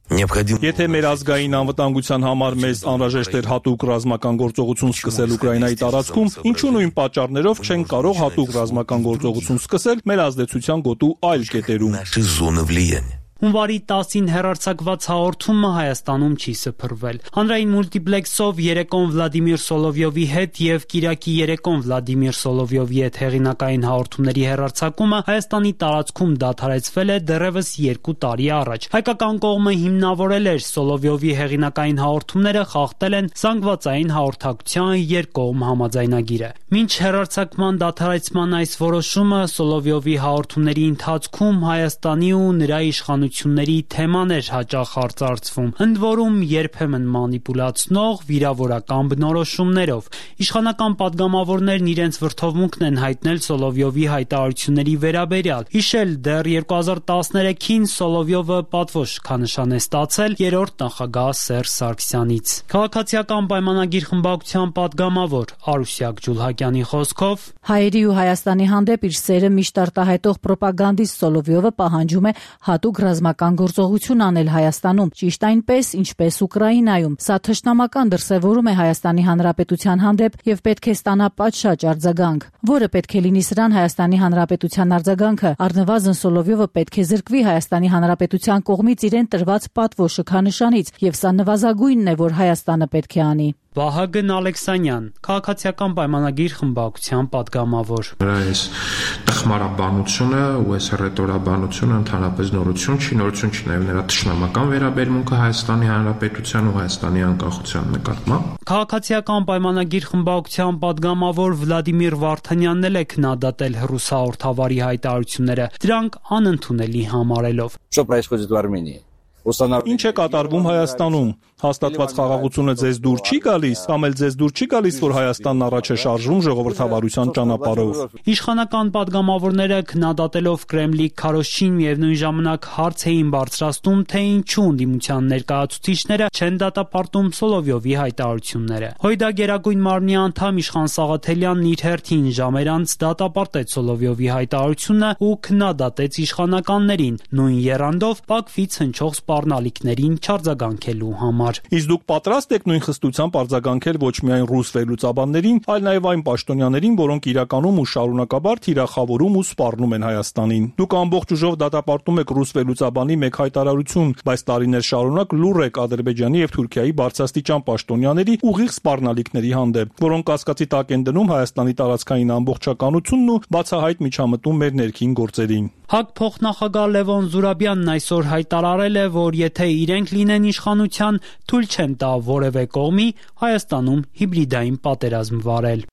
Եթե մեր ազգային անվտանգության համար մեզ անհրաժեշտ էր հատուկ ռազմական գործողություն սկսել Ուկրաինայի տարածքում, ինչու նույն պատճառներով չենք կարող հատուկ ռազմական գործողություն սկսել մեր ազդեցության գոտու այլ կետերում։ Հունվարի 10-ին հեռարձակված հաղորդումը Հայաստանում չի սփռվել։ Հանրային մուլտիպլեքսով երեկոն Վլադիմիր Սոլովյովի հետ եւ Կիրակի երեկոն Վլադիմիր Սոլովյովի հետ հեղինակային հաղորդումների հեռարձակումը Հայաստանի տարածքում դադարեցվել է դեռևս 2 տարի առաջ։ Հայկական կողմը հիմնավորել էր Սոլովյովի հեղինակային հաղորդումները խախտել են զանգվածային հաղորդակցության երկկողմ համաձայնագիրը։ Մինչ հեռարձակման դադարեցման այս որոշումը Սոլովյովի հաղորդումների ընթացքում Հայաստանի ու նրա իշխանության իրականությունների թեմաներ հաճախ արծարծվում, ընդ որում երբեմն մանիպուլացնող վիրավորական բնորոշումներով։ Իշխանական падգամավորներն իրենց վրդովմունքն են հայտնել Սոլովյովի հայտարարությունների վերաբերյալ։ Հիշել դեռ 2013-ին Սոլովյովը պատվո շքանշան է ստացել երրորդ նախագահ Սերժ Սարգսյանից։ Քաղաքացիական պայմանագիր խմբակցության падգամավոր Արուսյակ Ջուլհակյանի խոսքով հայերի ու Հայաստանի հանդեպ իր սերը միշտ արտահայտող պրոպագանդիստ Սոլովյովը պահանջում է հատուկ ռազմական գործողություն անել Հայաստանում, ճիշտ այնպես, ինչպես Ուկրաինայում։ Սա թշնամական դրսևորում է Հայաստանի Հանրապետության հանդեպ եւ պետք է ստանա պատշաճ արձագանք, որը պետք է լինի սրան Հայաստանի Հանրապետության արձագանքը։ Առնվազն Սոլովյովը պետք է զրկվի Հայաստանի Հանրապետության կողմից իրեն տրված պատվո շքանշանից, եւ սա նվազագույնն է, որ Հայաստանը պետք է անի։ Վահագն Ալեքսանյան, քաղաքացիական պայմանագիր խմբակցության падգամավոր։ Այս տխմարաբանությունը ու այս ռետորաբանությունը ընդհանրապես նորություն չի, նաև նրա թշնամական վերաբերմունքը Հայաստանի Հանրապետության ու Հայաստանի անկախության նկատմամբ։ Քաղաքացիական պայմանագիր խմբակցության падգամավոր Վլադիմիր Վարդանյանն էլ է քննադատել հեռուստահաղորդավարի հայտարարությունները, դրանք անընդունելի համարելով։ Что происходит в Армении? Ինչ է կատարվում Հայաստանում։ Հաստատված խաղաղությունը ձեզ դուր չի գալիս, կամ էլ ձեզ դուր չի գալիս, որ Հայաստանն առաջ է շարժվում ժողովրդավարության ճանապարհով։ Իշխանական падգամավորները քննադատելով Կրեմլի քարոզչին միևնույն ժամանակ հարց էին բարձրացնում, թե ինչու ընդդիմության ներկայացուցիչները չեն դատապարտում Սոլովյովի հայտարարությունները։ Հույդա Գերագույն մարմնի անդամ Իշխան Սաղաթելյանն իր հերթին ժամեր անց դատապարտեց Սոլովյովի հայտարարությունը ու քննադատեց իշխանականներին, նույն եռանդով Բաքվից հնչող սպառնալիքներին չարձագանքելու համար։ Իսկ դուք պատրաստ եք նույն խստությամբ արձագանքել ոչ միայն ռուս վերլուծաբաններին, այլ նաև այն պաշտոնյաներին, որոնք իրականում ու շարունակաբար թիրախավորում ու սպառնում են Հայաստանին։ Դուք ամբողջ ուժով դատապարտում եք ռուս վերլուծաբանի մեկ հայտարարություն, բայց տարիներ շարունակ լուռ եք Ադրբեջանի եւ Թուրքիայի բարձրաստիճան պաշտոնյաների ուղիղ սպառնալիքների հանդեպ, որոնք կասկածի տակ են դնում Հայաստանի տարածքային ամբողջականությունն ու բացահայտ միջամտում մեր ներքին գործերին։ ՀԱԿ փոխնախագահ Լևոն Զուրաբյանն այսօր հայտարարել է, որ եթե իրենք լինեն իշխանության, թույլ չեն տա որևէ կողմի Հայաստանում հիբրիդային պատերազմ վարել։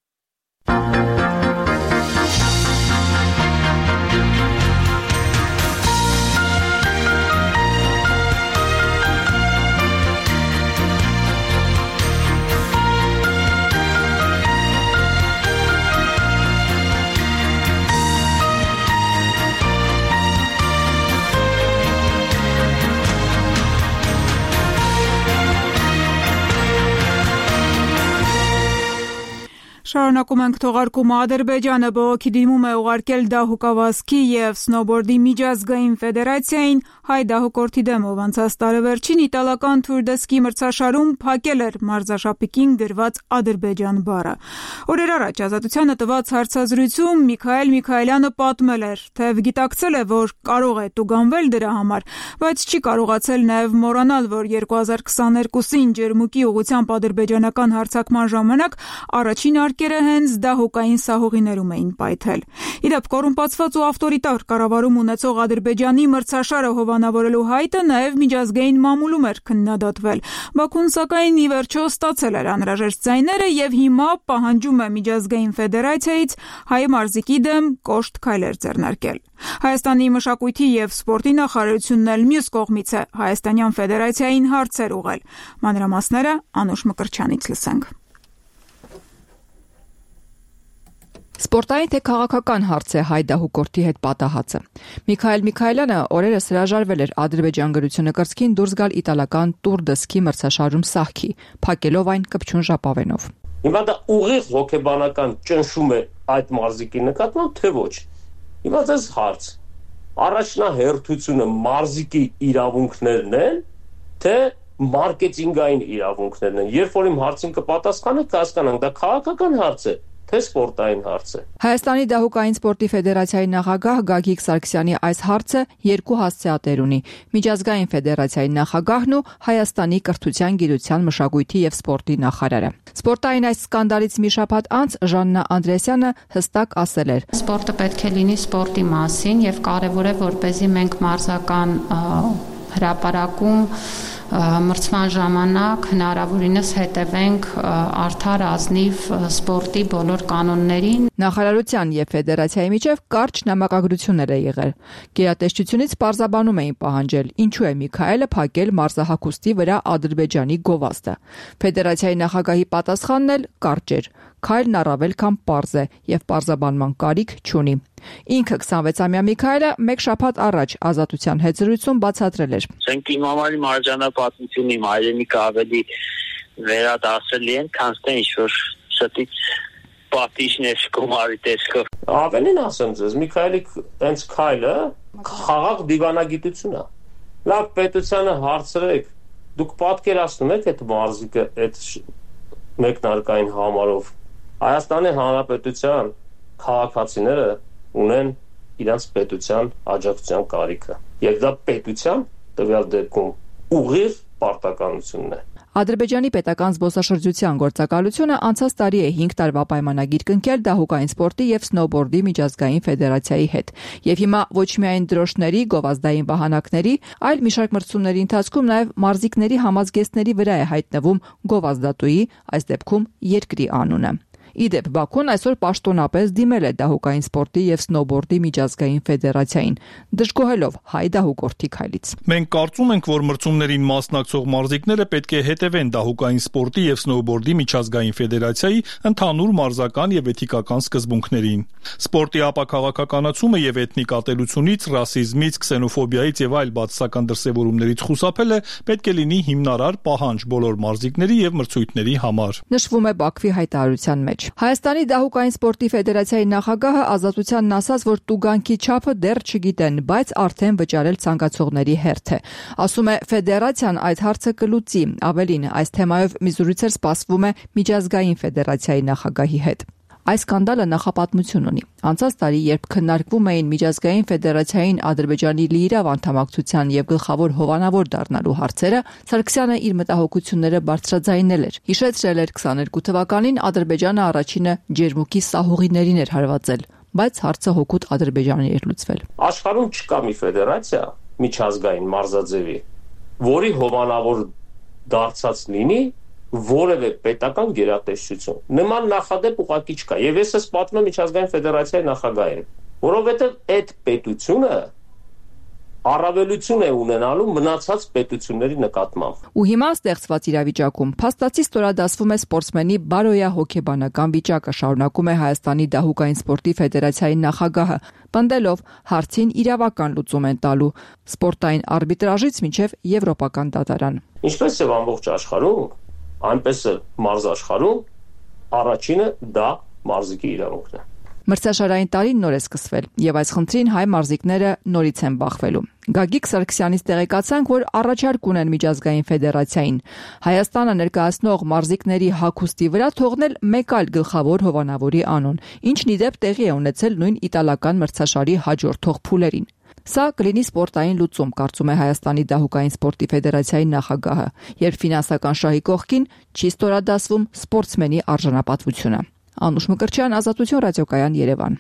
Շարունակում ենք թողարկումը Ադրբեջանը բողոքի դիմում է ուղարկել դահուկավազքի եւ սնոուբորդի միջազգային ֆեդերացիային հայ դահուկորդի դեմ, ով անցած տարեվերջին իտալական Tour de Ski մրցաշարում փակել էր մարզաշապիկին դրված Ադրբեջան բառը։ Օրեր առաջ Ազատությանը տված հարցազրույցում Միքայել Միքայելյանը պատմել էր, թե գիտակցել է, որ կարող է տուգանվել դրա համար, բայց չի կարողացել նաեւ մոռանալ, որ 2022-ին Ջերմուկի ուղղությամբ ադրբեջանական հարձակման ժամանակ առաջին արկերը հենց դահուկային սահուղիներում էին պայթել։ Իդեպ կոռումպացված ու ավտորիտար կառավարում ունեցող Ադրբեջանի մրցաշարը հովանավորելու հայտը նաև միջազգային մամուլում էր քննադատվել։ Բաքուն սակայն ի վերջո ստացել էր անհրաժեշտ ձայները եւ հիմա պահանջում է միջազգային ֆեդերացիայից հայ մարզիկի դեմ կոշտ քայլեր ձեռնարկել։ Հայաստանի մշակույթի եւ սպորտի նախարարությունն էլ մյուս կողմից է Հայաստանյան ֆեդերացիային հարցեր ուղղել։ Մանրամասները Անուշ Մկրչյանից լսենք։ Սպորտային թե քաղաքական հարց է հայ դահուկորդի հետ պատահածը։ Միքայել Միքայելյանը օրերս հրաժարվել էր Ադրբեջան գրությունը կրծքին դուրս գալ իտալական Tour de Ski մրցաշարում սահքի, փակելով այն կպչուն ժապավենով։ Հիմա դա ուղիղ հոգեբանական ճնշում է այդ մարզիկի նկատմամբ, թե ոչ։ Հիմա ձեզ հարց. առաջնահերթությունը մարզիկի իրավունքներն են, թե մարքեթինգային իրավունքներն են։ Երբ որ իմ հարցին կպատասխանեք, կհասկանանք, դա քաղաքական հարց է, թե սպորտային հարց է։ Հայաստանի դահուկային սպորտի ֆեդերացիայի նախագահ Գագիկ Սարգսյանի այս հարցը երկու հասցեատեր ունի՝ միջազգային ֆեդերացիայի նախագահն ու Հայաստանի կրթության, գիտության, մշակույթի եւ սպորտի նախարարը։ Սպորտային այս սկանդալից մի շաբաթ անց Ժաննա Անդրեասյանը հստակ ասել էր. Սպորտը պետք է լինի սպորտի մասին եւ կարեւոր է, որպեսզի մենք մարզական հրապարակում մրցման ժամանակ հնարավորինս հետևենք արդար ազնիվ սպորտի բոլոր կանոններին։ Նախարարության եւ ֆեդերացիայի միջև կարճ նամակագրություններ է եղել։ Գերատեսչությունից պարզաբանում էին պահանջել, ինչու է Միքայելը փակել մարզահագուստի վրա Ադրբեջանի գովազդը։ Ֆեդերացիայի նախագահի պատասխանն էլ կարճ էր. Քայլն առավել քան պարզ է եւ պարզաբանման կարիք չունի։ Ինքը 26-ամյա Միքայելը մեկ շաբաթ առաջ Ազատության հետ զրույցում բացատրել էր. Մենք իմ համար իմ արժանապատվություն, իմ հայրենիքը ավելի վերադասելի են, քան թե ինչ-որ շտից պատիժներ գումարի տեսքով։ Ավելին ասեմ ձեզ, Միքայելի հենց քայլը խաղաղ դիվանագիտություն է։ Լավ պետությանը հարցրեք, դուք պատկերացնում եք այդ մարզիկը այդ մեկնարկային համարով Հայաստանի Հանրապետության քաղաքացիները ունեն իրենց պետության աջակցության կարիքը։ Եվ դա պետության տվյալ դեպքում ուղիղ պարտականությունն է։ Ադրբեջանի պետական զբոսաշրջության գործակալությունը անցած տարի է 5 տարվա պայմանագիր կնքել դահուկային սպորտի եւ սնոուբորդի միջազգային ֆեդերացիայի հետ։ Եվ հիմա ոչ միայն դրոշների, գովազդային վահանակների, այլ մի շարք մրցումների ընթացքում նաեւ մարզիկների համազգեստների վրա է հայտնվում գովազդատուի, այս դեպքում երկրի անունը։ Իդեպ Բաքուն այսօր պաշտոնապես դիմել է դահուկային սպորտի եւ սնոուբորդի միջազգային ֆեդերացիային, դժգոհելով հայ դահուկորդի քայլից։ Մենք կարծում ենք, որ մրցումներին մասնակցող մարզիկները պետք է հետևեն դահուկային սպորտի եւ սնոուբորդի միջազգային ֆեդերացիայի ընդհանուր մարզական եւ էթիկական սկզբունքներին։ Սպորտի ապաքաղաքականացումը եւ էթնիկ ատելությունից, ռասիզմից, քսենոֆոբիայից եւ այլ բացասական դրսեւորումներից խուսափելը պետք է լինի հիմնարար պահանջ բոլոր մարզիկների եւ մրցույթների համար։ Նշվում է Բաքվի հայտարարության մեջ։ Հայաստանի դահուկային սպորտի ֆեդերացիայի նախագահը Ազատությանն ասաց, որ տուգանքի չափը դեռ չգիտեն, բայց արդեն վճարել ցանկացողների հերթ է։ Ասում է ֆեդերացիան այդ հարցը կլուծի։ Ավելին, այս թեմայով մի զրույց սպասվում է միջազգային ֆեդերացիայի նախագահի հետ։ Այս սկանդալը նախապատմություն ունի։ Անցած տարի, երբ քննարկվում էին միջազգային ֆեդերացիային Ադրբեջանի լիիրավ անդամակցության եւ գլխավոր հովանավոր դառնալու հարցերը, Սարգսյանը իր մտահոգությունները բարձրաձայնել էր։ Հիշեցրել էր 22 թվականին Ադրբեջանը առաջինը ջերմուկի սահուղիներին էր հարվածել, բայց հարցը հօգուտ Ադրբեջանի էր լուծվել։ Աշխարհում չկա մի ֆեդերացիա միջազգային մարզաձևի, որի հովանավոր դարձած լինի որևէ պետական գերատեսչություն։ Նման նախադեպ ուղղակի չկա։ Եվ ես ես պատմում եմ միջազգային ֆեդերացիայի նախագահին, որովհետև այդ պետությունը առավելություն է ունենալու մնացած պետությունների նկատմամբ։ Ու հիմա ստեղծված իրավիճակում փաստացի ստորադասվում է սպորտսմենի բարոյահոգեբանական վիճակը, շարունակում է Հայաստանի դահուկային սպորտի ֆեդերացիայի նախագահը, պնդելով հարցին իրավական լուծում են տալու սպորտային արբիտրաժից մինչև եվրոպական դատարան։ Ինչպես է ամբողջ աշխարհում, այնպես է մարզաշխարհում առաջինը դա մարզիկի իրավունքն է։ Մրցաշարային տարին նոր է սկսվել, եւ այս խնդրին հայ մարզիկները նորից են բախվելու։ Գագիկ Սարգսյանից տեղեկացանք, որ առաջարկ ունեն միջազգային ֆեդերացիային Հայաստանը ներկայացնող մարզիկների հագուստի վրա թողնել մեկ այլ գլխավոր հովանավորի անուն, ինչն ի դեպ տեղի է ունեցել նույն իտալական մրցաշարի հաջորդող փուլերին։ Սա կլինի սպորտային լուծում, կարծում է Հայաստանի դահուկային սպորտի ֆեդերացիայի նախագահը, երբ ֆինանսական շահի կողքին չի ստորադասվում սպորտսմենի արժանապատվությունը։ Անուշ Մկրտչյան, Ազատություն, ռադիոկայան, Երևան։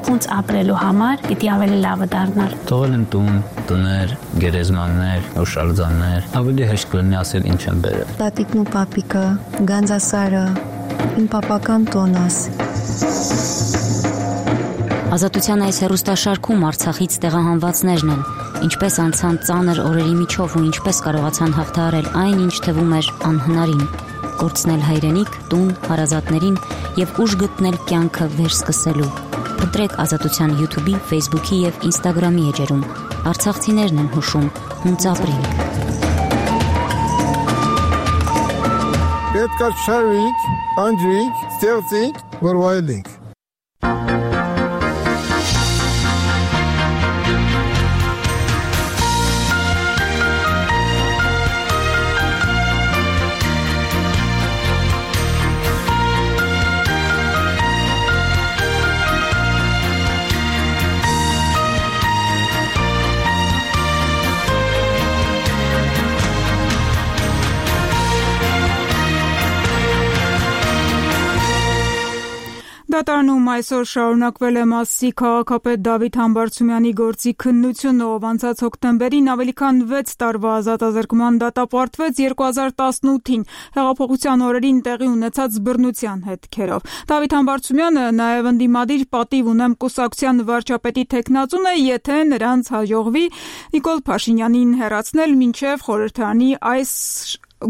Ոնց ապրելու համար պիտի ավելի լավը դառնալ։ Թողել եմ տուն, տներ, գերեզմաններ, օշալձաններ, ավելի հեշտ կլինի ասել ինչ եմ բերել։ Տատիկն ու պապիկը, Գանձասարը, իմ պապական տոնս։ Ազատության այս հեռուստաշարքում Արցախից տեղահանվածներն են, ինչպես անցան ծանր օրերի միջով ու ինչպես կարողացան հաղթահարել այն, ինչ թվում էր անհնարին, կորցնել հայրենիք, տուն, հարազատներին եւ ուժ գտնել կյանքը վերսկսելու։ Ընտրեք Ազատության YouTube-ի, Facebook-ի եւ Instagram-ի էջերում։ Արցախցիներն են հուշում, հունց ապրենք։ Պետք է շարվենք, անջրենք, ստեղծենք, որ վայելենք։ Հայաստանում այսօր շարունակվել է Մասիսի քաղաքապետ Դավիթ Համբարձումյանի գործի քննությունը, ով անցած հոկտեմբերին ավելի քան 6 տարվա ազատազրկման դատապարտվեց 2018-ին հեղափոխության օրերին տեղի ունեցած բռնության հետքերով։ Դավիթ Համբարձումյանը նաև ընդդիմադիր պատիվ ունեմ կուսակցության վարչապետի թեկնածուն է, եթե նրանց հաջողվի Նիկոլ Փաշինյանին հեռացնել մինչև խորհրդարանի այս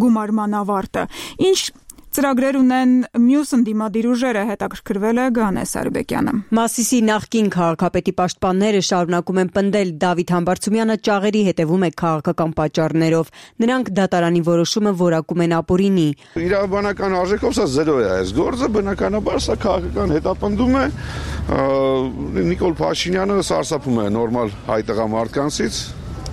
գումարման ավարտը։ Ինչ ծրագրեր ունեն մյուս ընդդիմադիր ուժերը, հետաքրքրվել է Գանե Սարբեկյանը։ Մասիսի նախկին քաղաքապետի պաշտպանները շարունակում են պնդել Դավիթ Համբարձումյանը ճաղերի հետևում է քաղաքական պատճառներով։ Նրանք դատարանի որոշումը որակում են ապօրինի։ Իրավաբանական արժեքով սա զերո է այս գործը, բնականաբար սա քաղաքական հետապնդում է։ Նիկոլ Փաշինյանը սարսափում է նորմալ հայ տղամարդկանցից,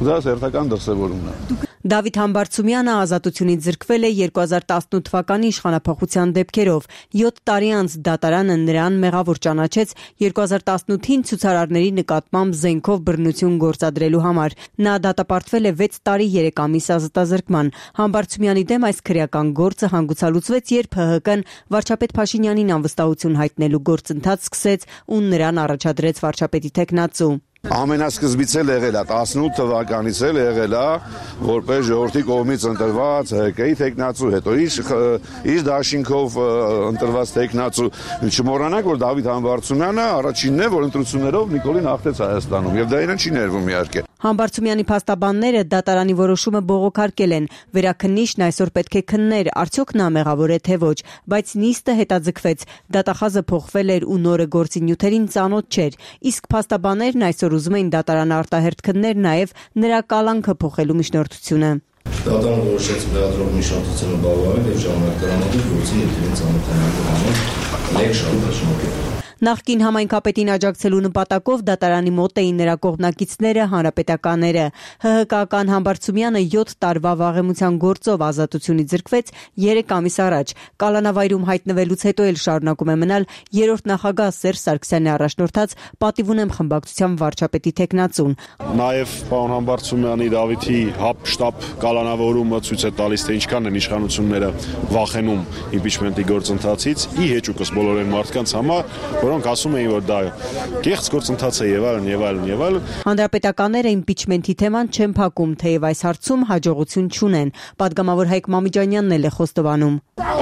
դա հերթական դրսևորումն է։ Դավիթ Համբարձումյանը ազատությունից զրկվել է 2018 թվականի իշխանափոխության դեպքերով։ 7 տարի անց դատարանը նրան մեղավոր ճանաչեց 2018-ին ցուցարարների նկատմամբ զենքով բռնություն գործադրելու համար։ Նա դատապարտվել է 6 տարի 3 ամիս ազատազրկման։ Համբարձումյանի դեմ այս քրեական գործը հանգուցալուծվեց, երբ ՀՀԿ-ն վարչապետ Փաշինյանին անվստահություն հայտնելու գործընթաց սկսեց ու նրան առաջադրեց վարչապետի թեկնածու։ Ամենասկզբից էլ եղել է 18 թվականից էլ եղել է որպես ժողովրդի կողմից ընտրված ՀԿ-ի թեկնածու, հետո իր դաշինքով ընտրված թեկնածու։ Չմոռանանք, որ Դավիթ Համբարձումյանը առաջինն է, որ ընտրություններով Նիկոլին հաղթեց Հայաստանում, եւ դա իրեն չի ներվում իհարկե։ Համբարձումյանի փաստաբանները դատարանի որոշումը բողոքարկել են։ Վերաքննիչն այսօր պետք է քններ, արդյոք նա մեղավոր է թե ոչ, բայց նիստը հետաձգվեց։ Դատախազը փոխվել էր ու նորը գործի նյութերին ծանոթ չէր։ Իսկ փաստաբաններն այսօր ուզում էին դատարանը արտահերթ քններ նաև նրա կալանքը փոխելու միջնորդությունը։ Դատարանը որոշեց լրագրող միջնորդությունը բավարարել եւ ժամանակ տրամադրել գործի նյութերին ծանոթանալու համար 1 շաբաթ շնորհիվ։ Նախկին համայնքապետին աջակցելու նպատակով դատարանի մոտ էին նրա կողմնակիցները, հանրապետականները։ ՀՀԿ-ական Համբարձումյանը 7 տարվա վաղեմության գործով ազատությունից զրկվեց 3 ամիս առաջ։ Կալանավայրում հայտնվելուց հետո էլ շարունակում է մնալ երրորդ նախագահ Սերժ Սարգսյանի առաջնորդած պատիվ ունեմ խմբակցության վարչապետի թեկնածուն։ Նաև պարոն Համբարձումյանի Դավիթի հապ-շտապ կալանավորումը ցույց է տալիս, թե ինչքան են իշխանությունները վախենում իմպիչմենտի գործընթացից, ի հեճուկս բոլոր այն մարդկանց համար, որոնք ասում էին, որ դա կեղծ գործընթաց է եւ այլն եւ այլն եւ այլն։ Հանրապետականները իմպիչմենտի թեման չեն փակում, թեև այս հարցում հաջողություն չունեն։ Պատգամավոր Հայկ Մամիջանյանն էլ է խոստովանում։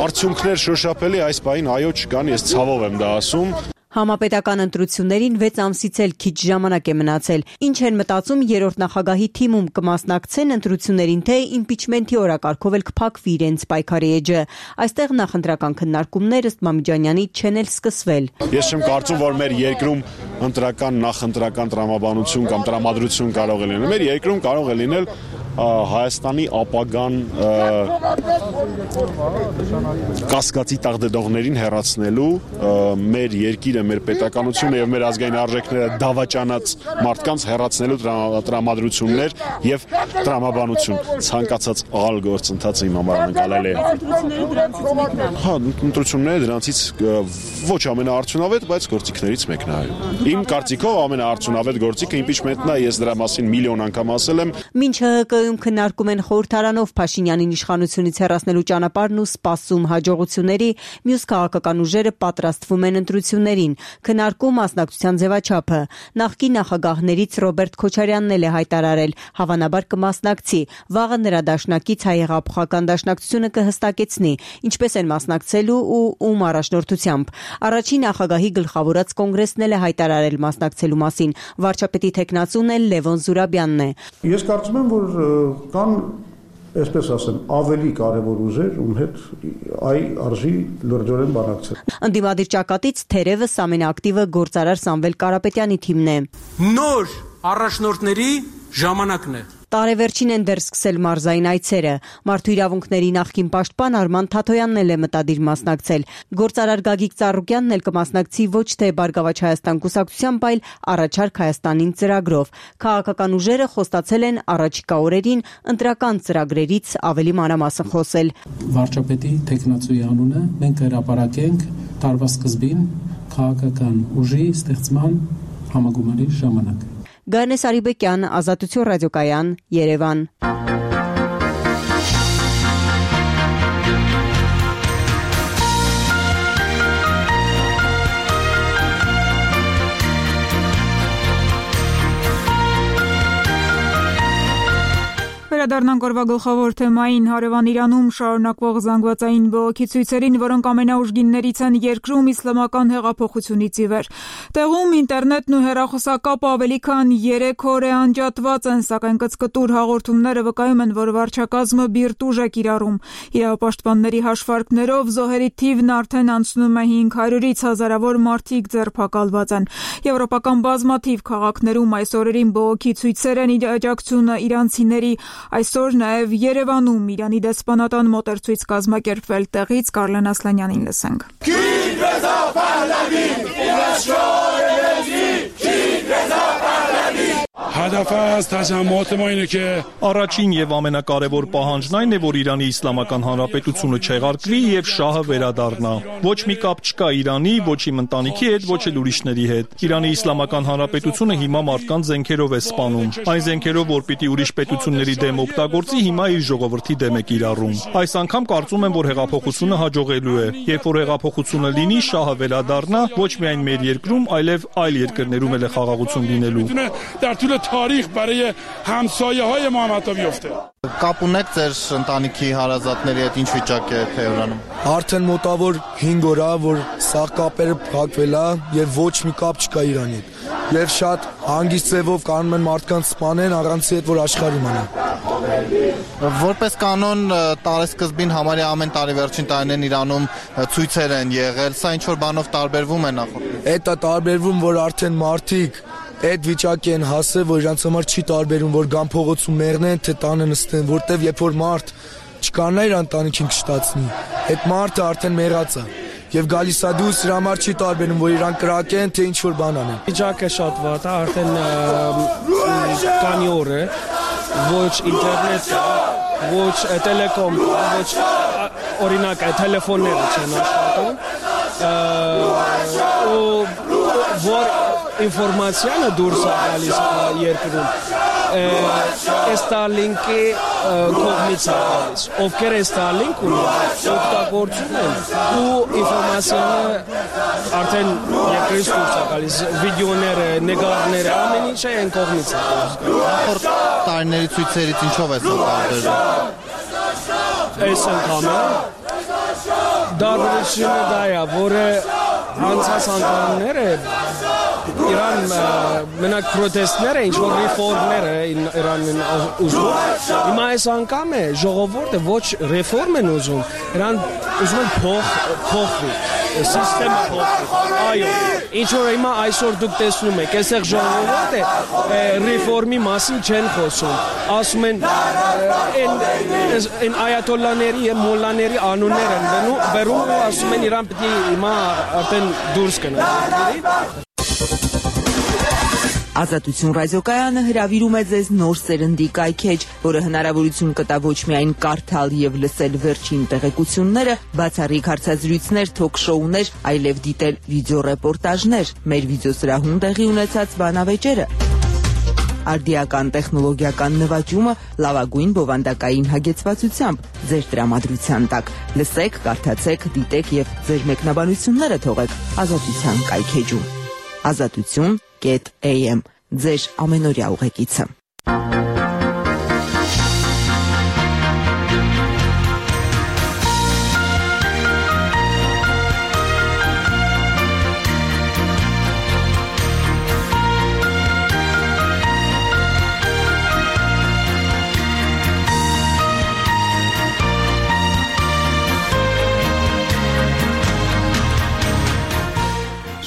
Արդյունքներ շոշափելի այս պահին այո չկան, ես ցավով եմ դա ասում։ Համապետական ընտրություններին 6 ամսից էլ քիչ ժամանակ է մնացել։ Ինչ են մտածում երրորդ նախագահի թիմում կմասնակցեն ընտրություններին, թե իմպիչմենտի օրակարգով էլ կփակվի իրենց պայքարի էջը։ Այստեղ նախընտրական քննարկումներ ըստ Մամիջանյանի չեն էլ սկսվել։ Ես չեմ կարծում, որ մեր երկրում ընտրական նախընտրական տրամաբանություն կամ տրամադրություն կարող է լինել։ Մեր երկրում կարող է լինել Հայաստանի ապագան կասկածի տակ դդողներին հեռացնելու, մեր երկիրը, մեր պետականությունը եւ մեր ազգային արժեքները դավաճանած մարդկանց հեռացնելու տրամադրություններ եւ տրամաբանություն։ Ցանկացած աղալ գործընթացը իմ համար անկալել է։ Ընտրությունները դրանցից ոչ ամենաարդյունավետ, բայց գործիքներից մեկն է։ Իմ կարծիքով ամենաարդյունավետ գործիքը իմպիչմենտն է, ես դրա մասին միլիոն անգամ ասել եմ։ Մինչ ՀՀԿ-ում քննարկում են խորհրդարանով Փաշինյանին իշխանությունից հեռացնելու ճանապարհն ու սպասում հաջողությունների, մյուս քաղաքական ուժերը պատրաստվում են ընտրություններին։ Քննարկում մասնակցության ձևաչափը։ Նախկին նախագահներից Ռոբերտ Քոչարյանն էլ է հայտարարել, հավանաբար կմասնակցի։ Վաղը նրա դաշնակից Հայ-հեղափոխական դաշնակցությունը կհստակեցնի, ինչպես են մասնակցելու ու ում առաջնորդությամբ։ Առաջին նախագահի գլխավորած կոնգրեսն էլ է հայտարարել մասնակցելու մասին։ Վարչապետի թեկնածուն էլ Լևոն Զուրաբյանն է։ Ես կարծում եմ, որ կան, այսպես ասեմ, ավելի կարևոր ուժեր, ում հետ արժի լրջորեն բանակցել։ Ընդդիմադիր ճակատից թերևս ամենաակտիվը գործարար Սամվել Կարապետյանի թիմն է։ Նոր առաջնորդների ժամանակն է։ Տարեվերջին են դեռ սկսել մարզային այցերը։ Մարդու իրավունքների նախկին պաշտպան Արման Թաթոյանն էլ է մտադիր մասնակցել։ Գործարար Գագիկ Ծառուկյանն էլ կմասնակցի ոչ թե Բարգավաճ Հայաստան կուսակցությամբ, այլ Առաջարկ Հայաստանին ծրագրով։ Քաղաքական ուժերը խոստացել են առաջիկա օրերին ընտրական ծրագրերից ավելի մանրամասն խոսել։ Վարչապետի թեկնածուի անունը մենք հրապարակենք տարվա սկզբին քաղաքական ուժի ստեղծման համագումարի ժամանակ։ Գանե Սարիբեկյան, Ազատություն ռադիոկայան, Երևան։ Վերադառնանք օրվա գլխավոր թեմային հարևան Իրանում շարունակվող զանգվածային բողոքի ցույցերին, որոնք ամենաուժգիններից են երկրում իսլամական հեղափոխությունից ի վեր։ Տեղում ինտերնետն ու հեռախոսակապը ավելի քան 3 օր է անջատված են, սակայն կծկտուր հաղորդումները վկայում են, որ վարչակազմը բիրտուժ է կիրառում։ Իրավապաշտպանների հաշվարկներով զոհերի թիվն արդեն անցնում է 500-ից, հազարավոր մարդիկ ձերբակալված են։ Եվրոպական բազմաթիվ քաղաքներում այս օրերին բողոքի ցույցեր են աջակցությունը իրանցիների։ Այսօր նաև Երևանում Իրանի դեսպանատան մոտեցույց կազմակերպվել, տեղից Կարլեն Ասլանյանին լսենք։ Առաջին եւ ամենակարևոր պահանջն այն է, որ Իրանի Իսլամական Հանրապետությունը չեղարկվի եւ շահը վերադառնա։ Ոչ մի կապ չկա Իրանի, ոչ իմ ընտանիքի հետ, ոչ էլ ուրիշների հետ։ Իրանի Իսլամական Հանրապետությունը հիմա մարդկանց զենքերով է սպանում։ Այն զենքերով, որ պիտի ուրիշ պետությունների դեմ օգտագործի, հիմա իր ժողովրդի դեմ է կիրառում։ Այս անգամ կարծում եմ, որ հեղափոխությունը հաջողելու է։ Երբ որ հեղափոխությունը լինի, շահը վերադառնա, ոչ միայն մեր երկրում, այլև այլ երկրներում էլ է խաղաղություն լինելու։ تاریخ برای همسایه‌های محمد بیفته. Կապ ունեք ձեր ընտանիքի հարազատների հետ, ինչ վիճակ է Թեհրանում։ Արդեն մոտավոր 5 օր է, որ սա կապերը փակվել է եւ ոչ մի կապ չկա Իրանի հետ։ Եվ շատ հանգիստ ձևով կանոն են մարդկանց սպանեն առանց այդ որ աշխարհի մնա։ Որպես կանոն տարեսկզբին համարյա ամեն տարի վերջին տարիներին Իրանում ցույցեր են եղել, սա ինչ որ բանով տարբերվում է նախորդ։ Դա տարբերվում, որ արդեն մարդիկ այդ վիճակի են հասել, որ իրանց համար չի տարբերում, որ գան փողոցում մեռնեն, թե տանը նստեն, որտեվ երբ որ մարդ չկանա իր ընտանիքին կշտացնի, այդ մարդը արդեն մեռած է։ Եվ գալիս է դուրս, իր համար չի տարբերում, որ իրան կրակեն, թե ինչ որ բան անեն։ Վիճակը շատ վատ է, արդեն քանի օր է, ոչ ինտերնետ կա, ոչ տելեկոմ կա, ոչ օրինակ տելեֆոնները չեն աշխատում, որ ինֆորմացիանը դուրս է գալիս երկրում, Starlink-ի կողմից է գալիս, ովքեր Starlink ունեն, օգտագործում են ու ինֆորմացիանը արդեն երկրից դուրս է գալիս, վիդեոները, նկարները, ամեն ինչը այն կողմից է գալիս։ Նախորդ տարիների ցույցերից ինչով է սա տարբերվում։ Այս անգամ դարձությունը դա է, որը անցած անգամները Իրան մենակ պրոտեստները, ինչ-որ ռեֆորմները Իրանն ուզում, հիմա այս անգամ է ժողովուրդը ոչ ռեֆորմ են ուզում, Իրան ուզում են փոխվի, սիստեմը փոխվի, այո, ինչ-որ հիմա այսօր դուք տեսնում եք, այսեղ ժողովուրդը ռեֆորմի մասին չեն խոսում, ասում են են այատոլլաների և մոլլաների անուններ են բերում ու ասում են Իրան պիտի հիմա արդեն դուրս կնա։ Ազատություն ռադիոկայանը հրավիրում է ձեզ նոր սերնդի կայքեջ, որը հնարավորություն կտա ոչ միայն կարդալ եւ լսել վերջին տեղեկությունները, բացառիկ հարցազրույցներ, թոք-շոուներ, այլև դիտել վիդեոռեպորտաժներ, մեր վիդեոսրահում տեղի ունեցած բանավեճերը, արդիական տեխնոլոգիական նվաճումը լավագույն բովանդակային հագեցվածությամբ ձեր տրամադրության տակ։ Լսեք, կարդացեք, դիտեք եւ ձեր մեկնաբանությունները թողեք Ազատության կայքեջում։ Azatutun.am ձեր ամենօրյա ուղեկիցը։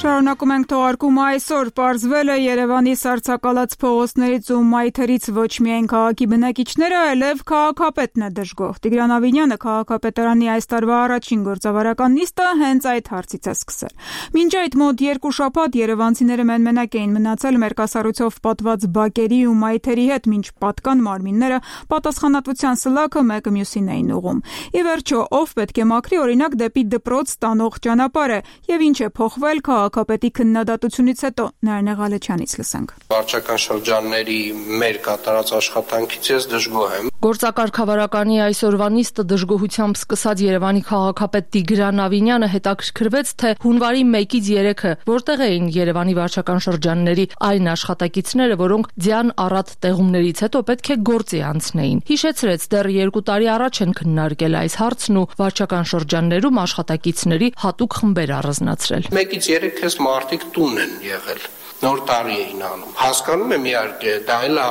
Շարունակում ենք թողարկումը այսօր պարզվել է Երևանի սառցակալած փողոցներից ու մայթերից ոչ միայն քաղաքի բնակիչները, այլև քաղաքապետն է դժգոհ։ Տիգրան Ավինյանը քաղաքապետարանի այս տարվա առաջին գործավարական նիստը հենց այդ հարցից է սկսել։ Մինչ այդ մոտ 2 շաբաթ երևանցիները մենմենակ էին մնացել մերկասառույցով պատված բակերի ու մայթերի հետ, մինչ պատկան մարմինները պատասխանատվության սլաքը մեկը մյուսին էին ուղում։ Ի վերջո, ով պետք է մաքրի օրինակ դեպի դպրոց տանող ճանապարհը եւ ինչ է փոխվել քաղաքապետի քննադատությունից հետո Նարինե Ղալեչյանից լսենք։ Վարչական շրջանների մեր կատարած աշխատանքից ես դժգոհ եմ։ Գործակարգավարականի այսօրվա նիստը դժգոհությամբ սկսած Երևանի քաղաքապետ Տիգրան Ավինյանը հետաքրքրվեց, թե հունվարի 1-ից 3-ը որտեղ էին Երևանի վարչական շրջանների այն աշխատակիցները, որոնք ձյան առատ տեղումներից հետո պետք է գործի անցնեին։ Հիշեցրեց, դեռ 2 տարի առաջ են քննարկել այս հարցն ու վարչական շրջաններում աշխատակիցների հատուկ խմբեր առանձնացրել։ 1-ից 3 էս մարդիկ տուն են եղել։ Նոր տարի էին անում։ Հասկանում եմ իհարկե, դա էլ է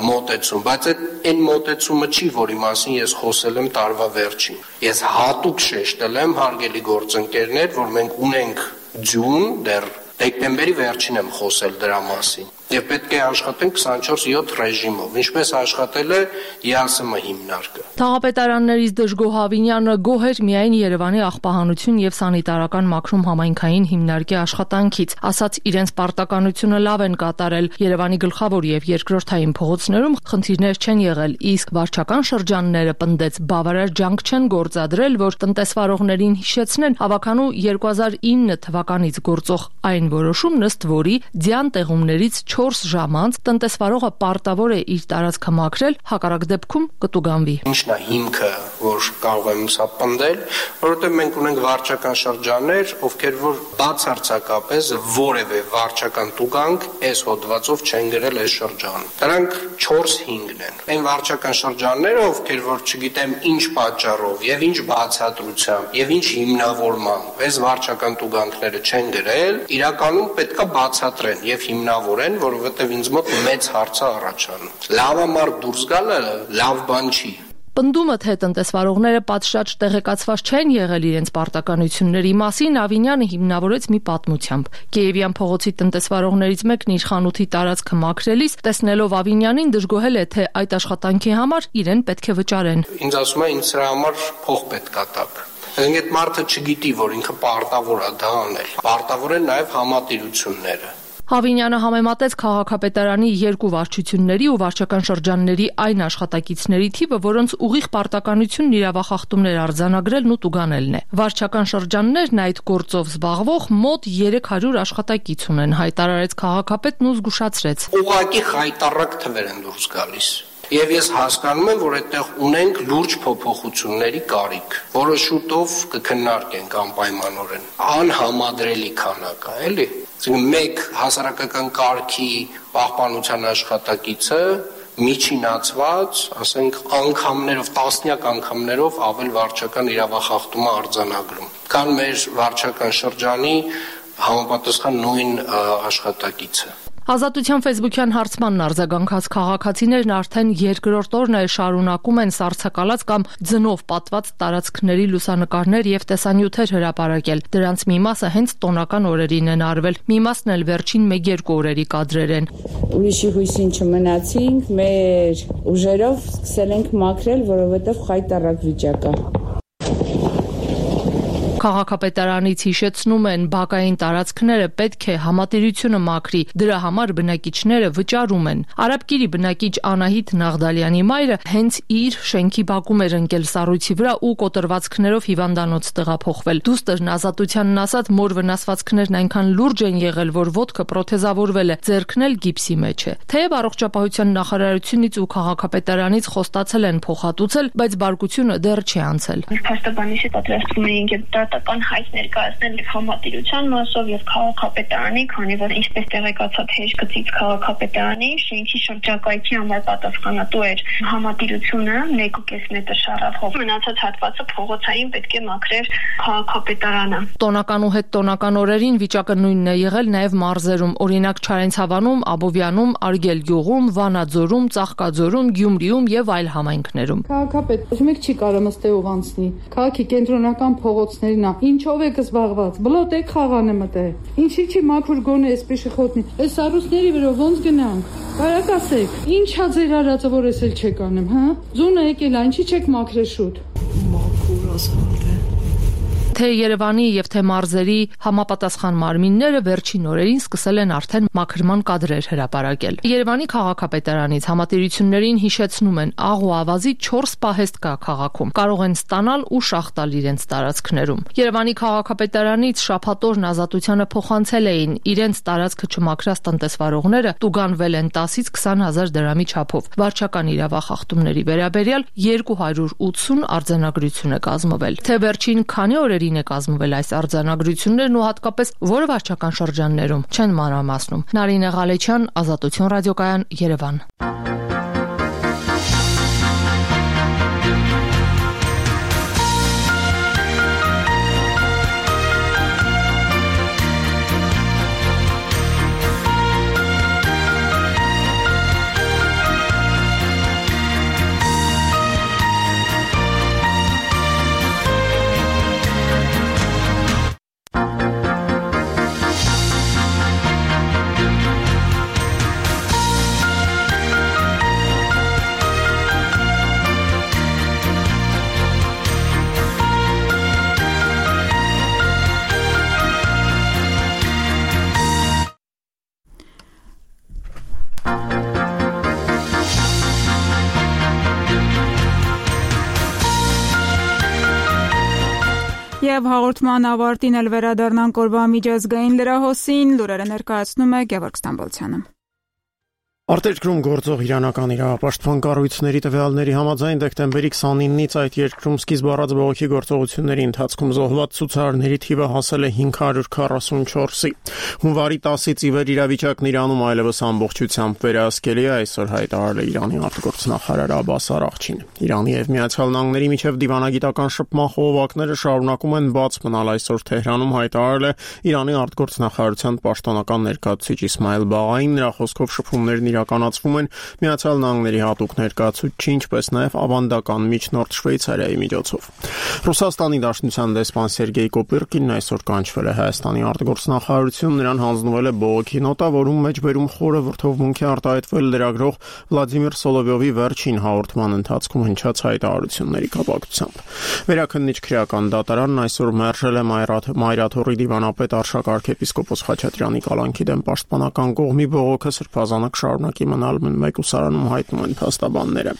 մոտեցում, բայց այն մոտեցումը չի, որի մասին ես խոսել եմ տարվա վերջին։ Ես հատուկ շեշտել եմ, հարգելի գործընկերներ, որ մենք ունենք ձյուն, դեռ դեկտեմբերի վերջին եմ խոսել դրա մասին։ Եվ պետք է աշխատենք 24/7 ռեժիմով, ինչպես աշխատել է ԵԱՍՄ հիմնարկը։ Թաղապետարաններից դժգոհ Ավինյանը գոհ էր միայն Երևանի աղբահանություն եւ սանիտարական մաքրում համայնքային հիմնարկի աշխատանքից, ասաց իրենց պարտականությունը լավ են կատարել, Երևանի գլխավոր եւ երկրորդային փողոցներում խնդիրներ չեն եղել, իսկ վարչական շրջանները պնդեց բավարար ջանք չեն գործադրել, որ տնտեսվարողներին հիշեցնեն հավաքանու 2009 թվականից գործող այն որոշումն, ըստ որի ձյան տեղումներից 4 ժամ անց տնտեսվարողը պարտավոր է իր տարածքը մաքրել, հակառակ դեպքում կտուգանվի։ Ինչն է հիմքը, որ կարող եմ սա պնդել, որովհետև մենք ունենք վարչական շրջաններ, ովքեր որ բացարձակապես որևէ վարչական տուգանք այս հոդվածով չեն գրել այս շրջանում։ Դրանք 4-5-ն են։ Այն վարչական շրջանները, ովքեր որ չգիտեմ ինչ պատճառով եւ ինչ բացատրությամբ եւ ինչ հիմնավորմամբ այս վարչական տուգանքները չեն գրել, իրականում պետքա բացատրեն եւ հիմնավորեն, որովհետև ինձ մոտ մեծ հարց է առաջանում։ Լավամարդ դուրս գալը լավ բան չի։ Պնդումը, թե տնտեսվարողները պատշաճ տեղեկացված չեն եղել իրենց պարտականությունների մասին, Ավինյանը հիմնավորեց մի պատմությամբ։ Կիևյան փողոցի տնտեսվարողներից մեկն իր խանութի տարածքը մաքրելիս, տեսնելով Ավինյանին, դժգոհել է, թե այդ աշխատանքի համար իրեն պետք է վճարեն։ Ինձ ասում է, ինձ սրա համար փող պետք է տաք։ Այդ մարդը չգիտի, որ ինքը պարտավոր է դա անել։ Պարտավոր են նաև համատիրությունները։ Ավինյանը համեմատեց քաղաքապետարանի 2 վարչությունների ու վարչական շրջանների այն աշխատակիցների թիվը, որոնց ուղիղ պարտականությունն իրավախախտումներ արձանագրելն ու տուգանելն է։ Վարչական շրջաններն այդ գործով զբաղվող մոտ 300 աշխատակից ունեն, հայտարարեց քաղաքապետն ու զգուշացրեց։ Ուղղակի խայտառակ թվեր են դուրս գալիս։ Եվ ես հասկանում եմ, որ այդտեղ ունենք լուրջ փոփոխությունների կարիք, որը շուտով կքննարկենք անպայմանորեն։ Անհամադրելի քանակ է, էլի։ Մեկ հասարակական կարգի պահպանության աշխատակիցը միջինացված, ասենք անգամներով, տասնյակ անգամներով ավել վարչական իրավախախտում է արձանագրում, քան մեր վարչական շրջանի համապատասխան նույն աշխատակիցը։ Ազատության ֆեյսբուքյան հարցմանն արձագանքած քաղաքացիներն արդեն երկրորդ օրն է շարունակում են սառցակալած կամ ձնով պատված տարածքների լուսանկարներ եւ տեսանյութեր հրապարակել։ Դրանց մի մասը հենց տոնական օրերին են արվել, մի մասն էլ վերջին 1-2 օրերի կադրեր են։ Ուրիշի հույսին չմնացինք, մեր ուժերով սկսել ենք մաքրել, որովհետեւ խայտառակ վիճակ է։ Քաղաքապետարանից հիշեցնում են, բակային տարածքները պետք է համատիրությունը մաքրի, դրա համար բնակիչները վճարում են։ Արաբկիրի բնակիչ Անահիտ Նաղդալյանի մայրը հենց իր շենքի բակում էր ընկել սառույցի վրա ու կոտրվածքներով հիվանդանոց տեղափոխվել։ Դուստերն Ազատությանն ասած, մոր վնասվածքներն այնքան լուրջ են եղել, որ ոտքը պրոթեզավորվել է, ձեռքն էլ գիպսի մեջ է։ Թեև առողջապահության նախարարությունից ու քաղաքապետարանից խոստացել են փոխհատուցել, բայց բարկությունը դեռ չի անցել։ Փաստաբանիչի պատրաստվում էինք դատական հայտ ներկայացնել եւ համատիրության մասով եւ քաղաքապետարանի, քանի որ ինչպես տեղեկացած հեշտգծից քաղաքապետարանի շենքի շրջակայքի համար պատասխանատու էր համատիրությունը 1.5 մետր շարախով։ Մնացած հատվածը փողոցային պետք է մաքրեր քաղաքապետարանը։ Տոնական ու հետ տոնական օրերին վիճակը նույնն է եղել նաեւ մարզերում, օրինակ Չարենցավանում, Աբովյանում, Արգելգյուղում, Վանաձորում, Ծաղկաձորում, Գյումրիում եւ այլ համայնքներում։ Քաղաքապետ, ում չի կարող մստեով անցնի։ Քաղաքի կենտրոնական փողոցներն է, ինչով եք զբաղված։ Բլոթեք խաղանը մտե։ Ինչի՞ չի մաքուր գոնե այսպես խոտնի։ Այս առուստների վրա ոնց գնանք։ Բարակ ասեք, ինչա ձեր արածը, որ ես էլ չեք անում, հա։ Ձունը եկել, ինչի՞ չեք մաքրել շուտ։ Մաքուր ասանք։ Թե Երևանի եւ թե մարզերի համապատասխան մարմինները վերջին օրերին սկսել են արդեն մաքրման կադրեր հրապարակել։ Երևանի քաղաքապետարանից համատիրություններին հիշեցնում են աղ ու ավազի 4 պահեստ կա քաղաքում, կարող են ստանալ ու շահ տալ իրենց տարածքներում։ Երևանի քաղաքապետարանից շաբաթօրն Ազատությանը փոխանցել էին իրենց տարածքը չմաքրած տնտեսվարողները տուգանվել են 10-ից 20,000 դրամի չափով։ Վարչական իրավախախտումների վերաբերյալ 280 արձանագրություն է կազմվել։ Թե վերջին քանի օրերին է կազմվել այս արձանագրություններն ու հատկապես որը վարչական շրջաններում չեն մանրամասնում։ Նարինե Ղալեչյան, Ազատություն ռադիոկայան, Երևան։ Եվ հաղորդման ավարտին էլ վերադառնանք օրվա միջազգային լրահոսին, լուրերը ներկայացնում է Գևորգ Ստամբոլցյանը։ Արտերկրում գործող իրանական իրավապաշտպան կառույցների տվյալների համաձայն դեկտեմբերի 29-ից այդ երկրում սկիզբ առած բողոքի գործողությունների ընթացքում զոհված ցուցարարների թիվը հասել է 544-ի։ Հունվարի 10-ից ի վեր իրավիճակն Իրանում այլևս ամբողջությամբ վերահսկելի է, այսօր հայտարարել է Իրանի արտգործնախարար Աբբաս Արաղչին։ Իրանի եւ Միացյալ Նահանգների միջև դիվանագիտական շփման խողովակները շարունակում են բաց մնալ, այսօր Թեհրանում հայտարարել է Իրանի արտգործնախարարության պաշտոնական ներկայացուցիչ Իսմայել Բաղային, նրա խոսքով շփումներն իրականացվում են Միացյալ Նահանգների հատուկ ներկայացուցչի, ինչպես նաև ավանդական միջնորդ Շվեյցարիայի միջոցով։ Ռուսաստանի Դաշնության դեսպան Սերգեյ Կոպիրկինն այսօր կանչվել է Հայաստանի արտգործնախարարություն, նրան հանձնվել է բողոքի նոտա, որում մեջբերում խորը վրդովմունք է արտահայտվել լրագրող Վլադիմիր Սոլովյովի վերջին հաղորդման ընթացքում հնչած հայտարարությունների կապակցությամբ։ Վերաքննիչ քրեական դատարանն այսօր մերժել է Մայրաթոռի դիվանապետ Արշակ arczepiskopos Խաչատրյանի կալանքի դեմ պաշտպանական կողմի բողոքը սրբազանակ շարունակի մնալ մեկուսարանում, հայտնում են փաստաբանները։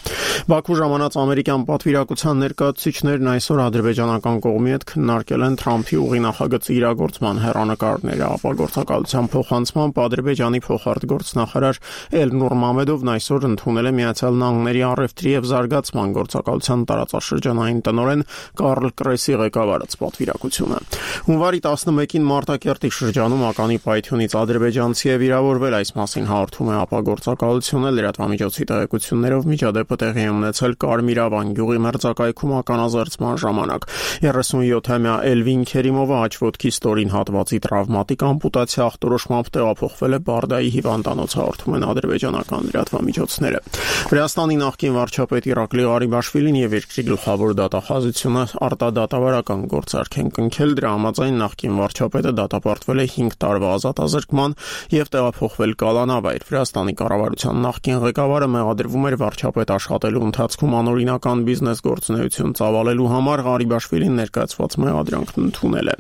Բաքու ժամանած ամերիկյան պատվիրակության ներկայացուցիչներն այսօր ադրբեջանական կողմի հետ քննարկել են Թրամփի ուղի նախագծի իրագործման հեռանկարները, ապա գործակալության փոխանցմամբ Ադրբեջանի փոխարտգործնախարար Էլնուր Մամեդովն այսօր ընդունել է Միացյալ Նահանգների առևտրի եւ զարգացման գործակալության տարածաշրջանային տնօրեն Կարլ Կրեսի ղեկավարած պատվիրակությունը։ Հունվարի 11-ին Մարտակերտի շրջանում ականի պայթյունից ադրբեջանցի է վիրավորվել, այս մասին հաղորդում է ապագործակալությունը, լրատվամիջոցի տեղեկություններով միջադեպը տեղի է ունեցել Կարմիրավան գյուղի մերձակայքում ականազերծման ժամանակ։ 37-ամյա Էլվին Քերիմովը աչվոտքի ստորին հատվածի տրավմատիկ ամպուտացիա ախտորոշմամբ տեղափոխվել է Բարդայի հիվանդանոց, հաղորդում են ադրբեջանական լրատվամիջոցները։ Վրաստանի նախկին վարչապետ Իրակլի Ղարիբաշվիլին եւ երկրի գլխավոր դատախազությունը արտադատավարական գործարք են կնքել, դրա համաձայն նախկին վարչապետը դատապարտվել է 5 տարվա ազատազրկման եւ տեղափոխվել կալանավայր։ Վրաստանի կառավարության նախկին ղեկավարը մեղադրվում էր վարչապետ աշխատելու ընթացքում անօրինական բիզնես գործունեություն ծավալելու համար, Ղարիբաշվիլին ներկայացված մեղադրանքն ընդունել է։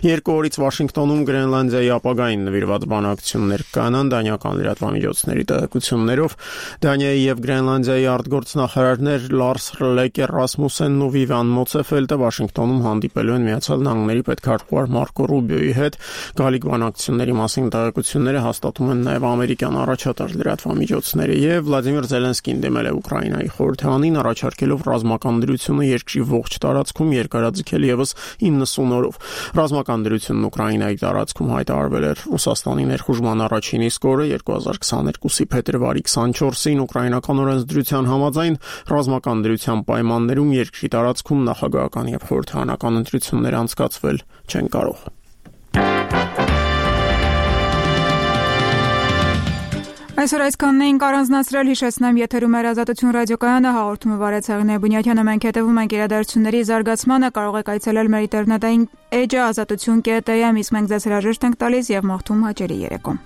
2 օրից Վաշինգտոնում Գրենլանդիայի ապագային նվիրված բանակցություններ կանան, դանիական լրատվամիջոցների տեղեկություններով Դանիայի եւ Գրենլանդիայի արտգործնախարարներ Լարս Լեկեր Ռասմուսենն ու Վիվան Մոցեֆելտը Վաշինգտոնում հանդիպելու են Միացյալ Նահանգների պետքարտուղար Մարկո Ռուբիոյի հետ։ Գալիք բանակցությունների մասին տեղեկությունները հաստատում են նաև ամերիկյան առաջատար լրատվամիջոցները, եւ Վլադիմիր Զելենսկին դիմել է Ուկրաինայի խորհրդանին, առաջարկելով ռազմական դրությունը երկրի ողջ տարածքում երկարաձգել եւս 90 օրով։ Ռազմական դրությունն Ուկրաինայի տարածքում հայտարարվել էր Ռուսաստանի ներխուժման առաջին իսկ օրը 2022-ի փետրվարի 24-ին ուկրաինական օրենսդրության համաձայն ռազմական դրության պայմաններում երկրի տարածքում նախագահական եւ խորհրդարանական ընտրություններ անցկացվել չեն կարող։ Այսօր այսքանն էինք առանձնացրել, հիշեցնեմ, եթերում էր Ազատություն ռադիոկայանը, հաղորդումը վարեց Հեղինե Բունյաթյանը, մենք հետևում ենք իրադարձությունների զարգացմանը, կարող եք այցելել մեր ինտերնետային էջը azatutun.am, իսկ մենք ձեզ հրաժեշտ ենք տալիս եւ մաղթում հաճելի երեկո։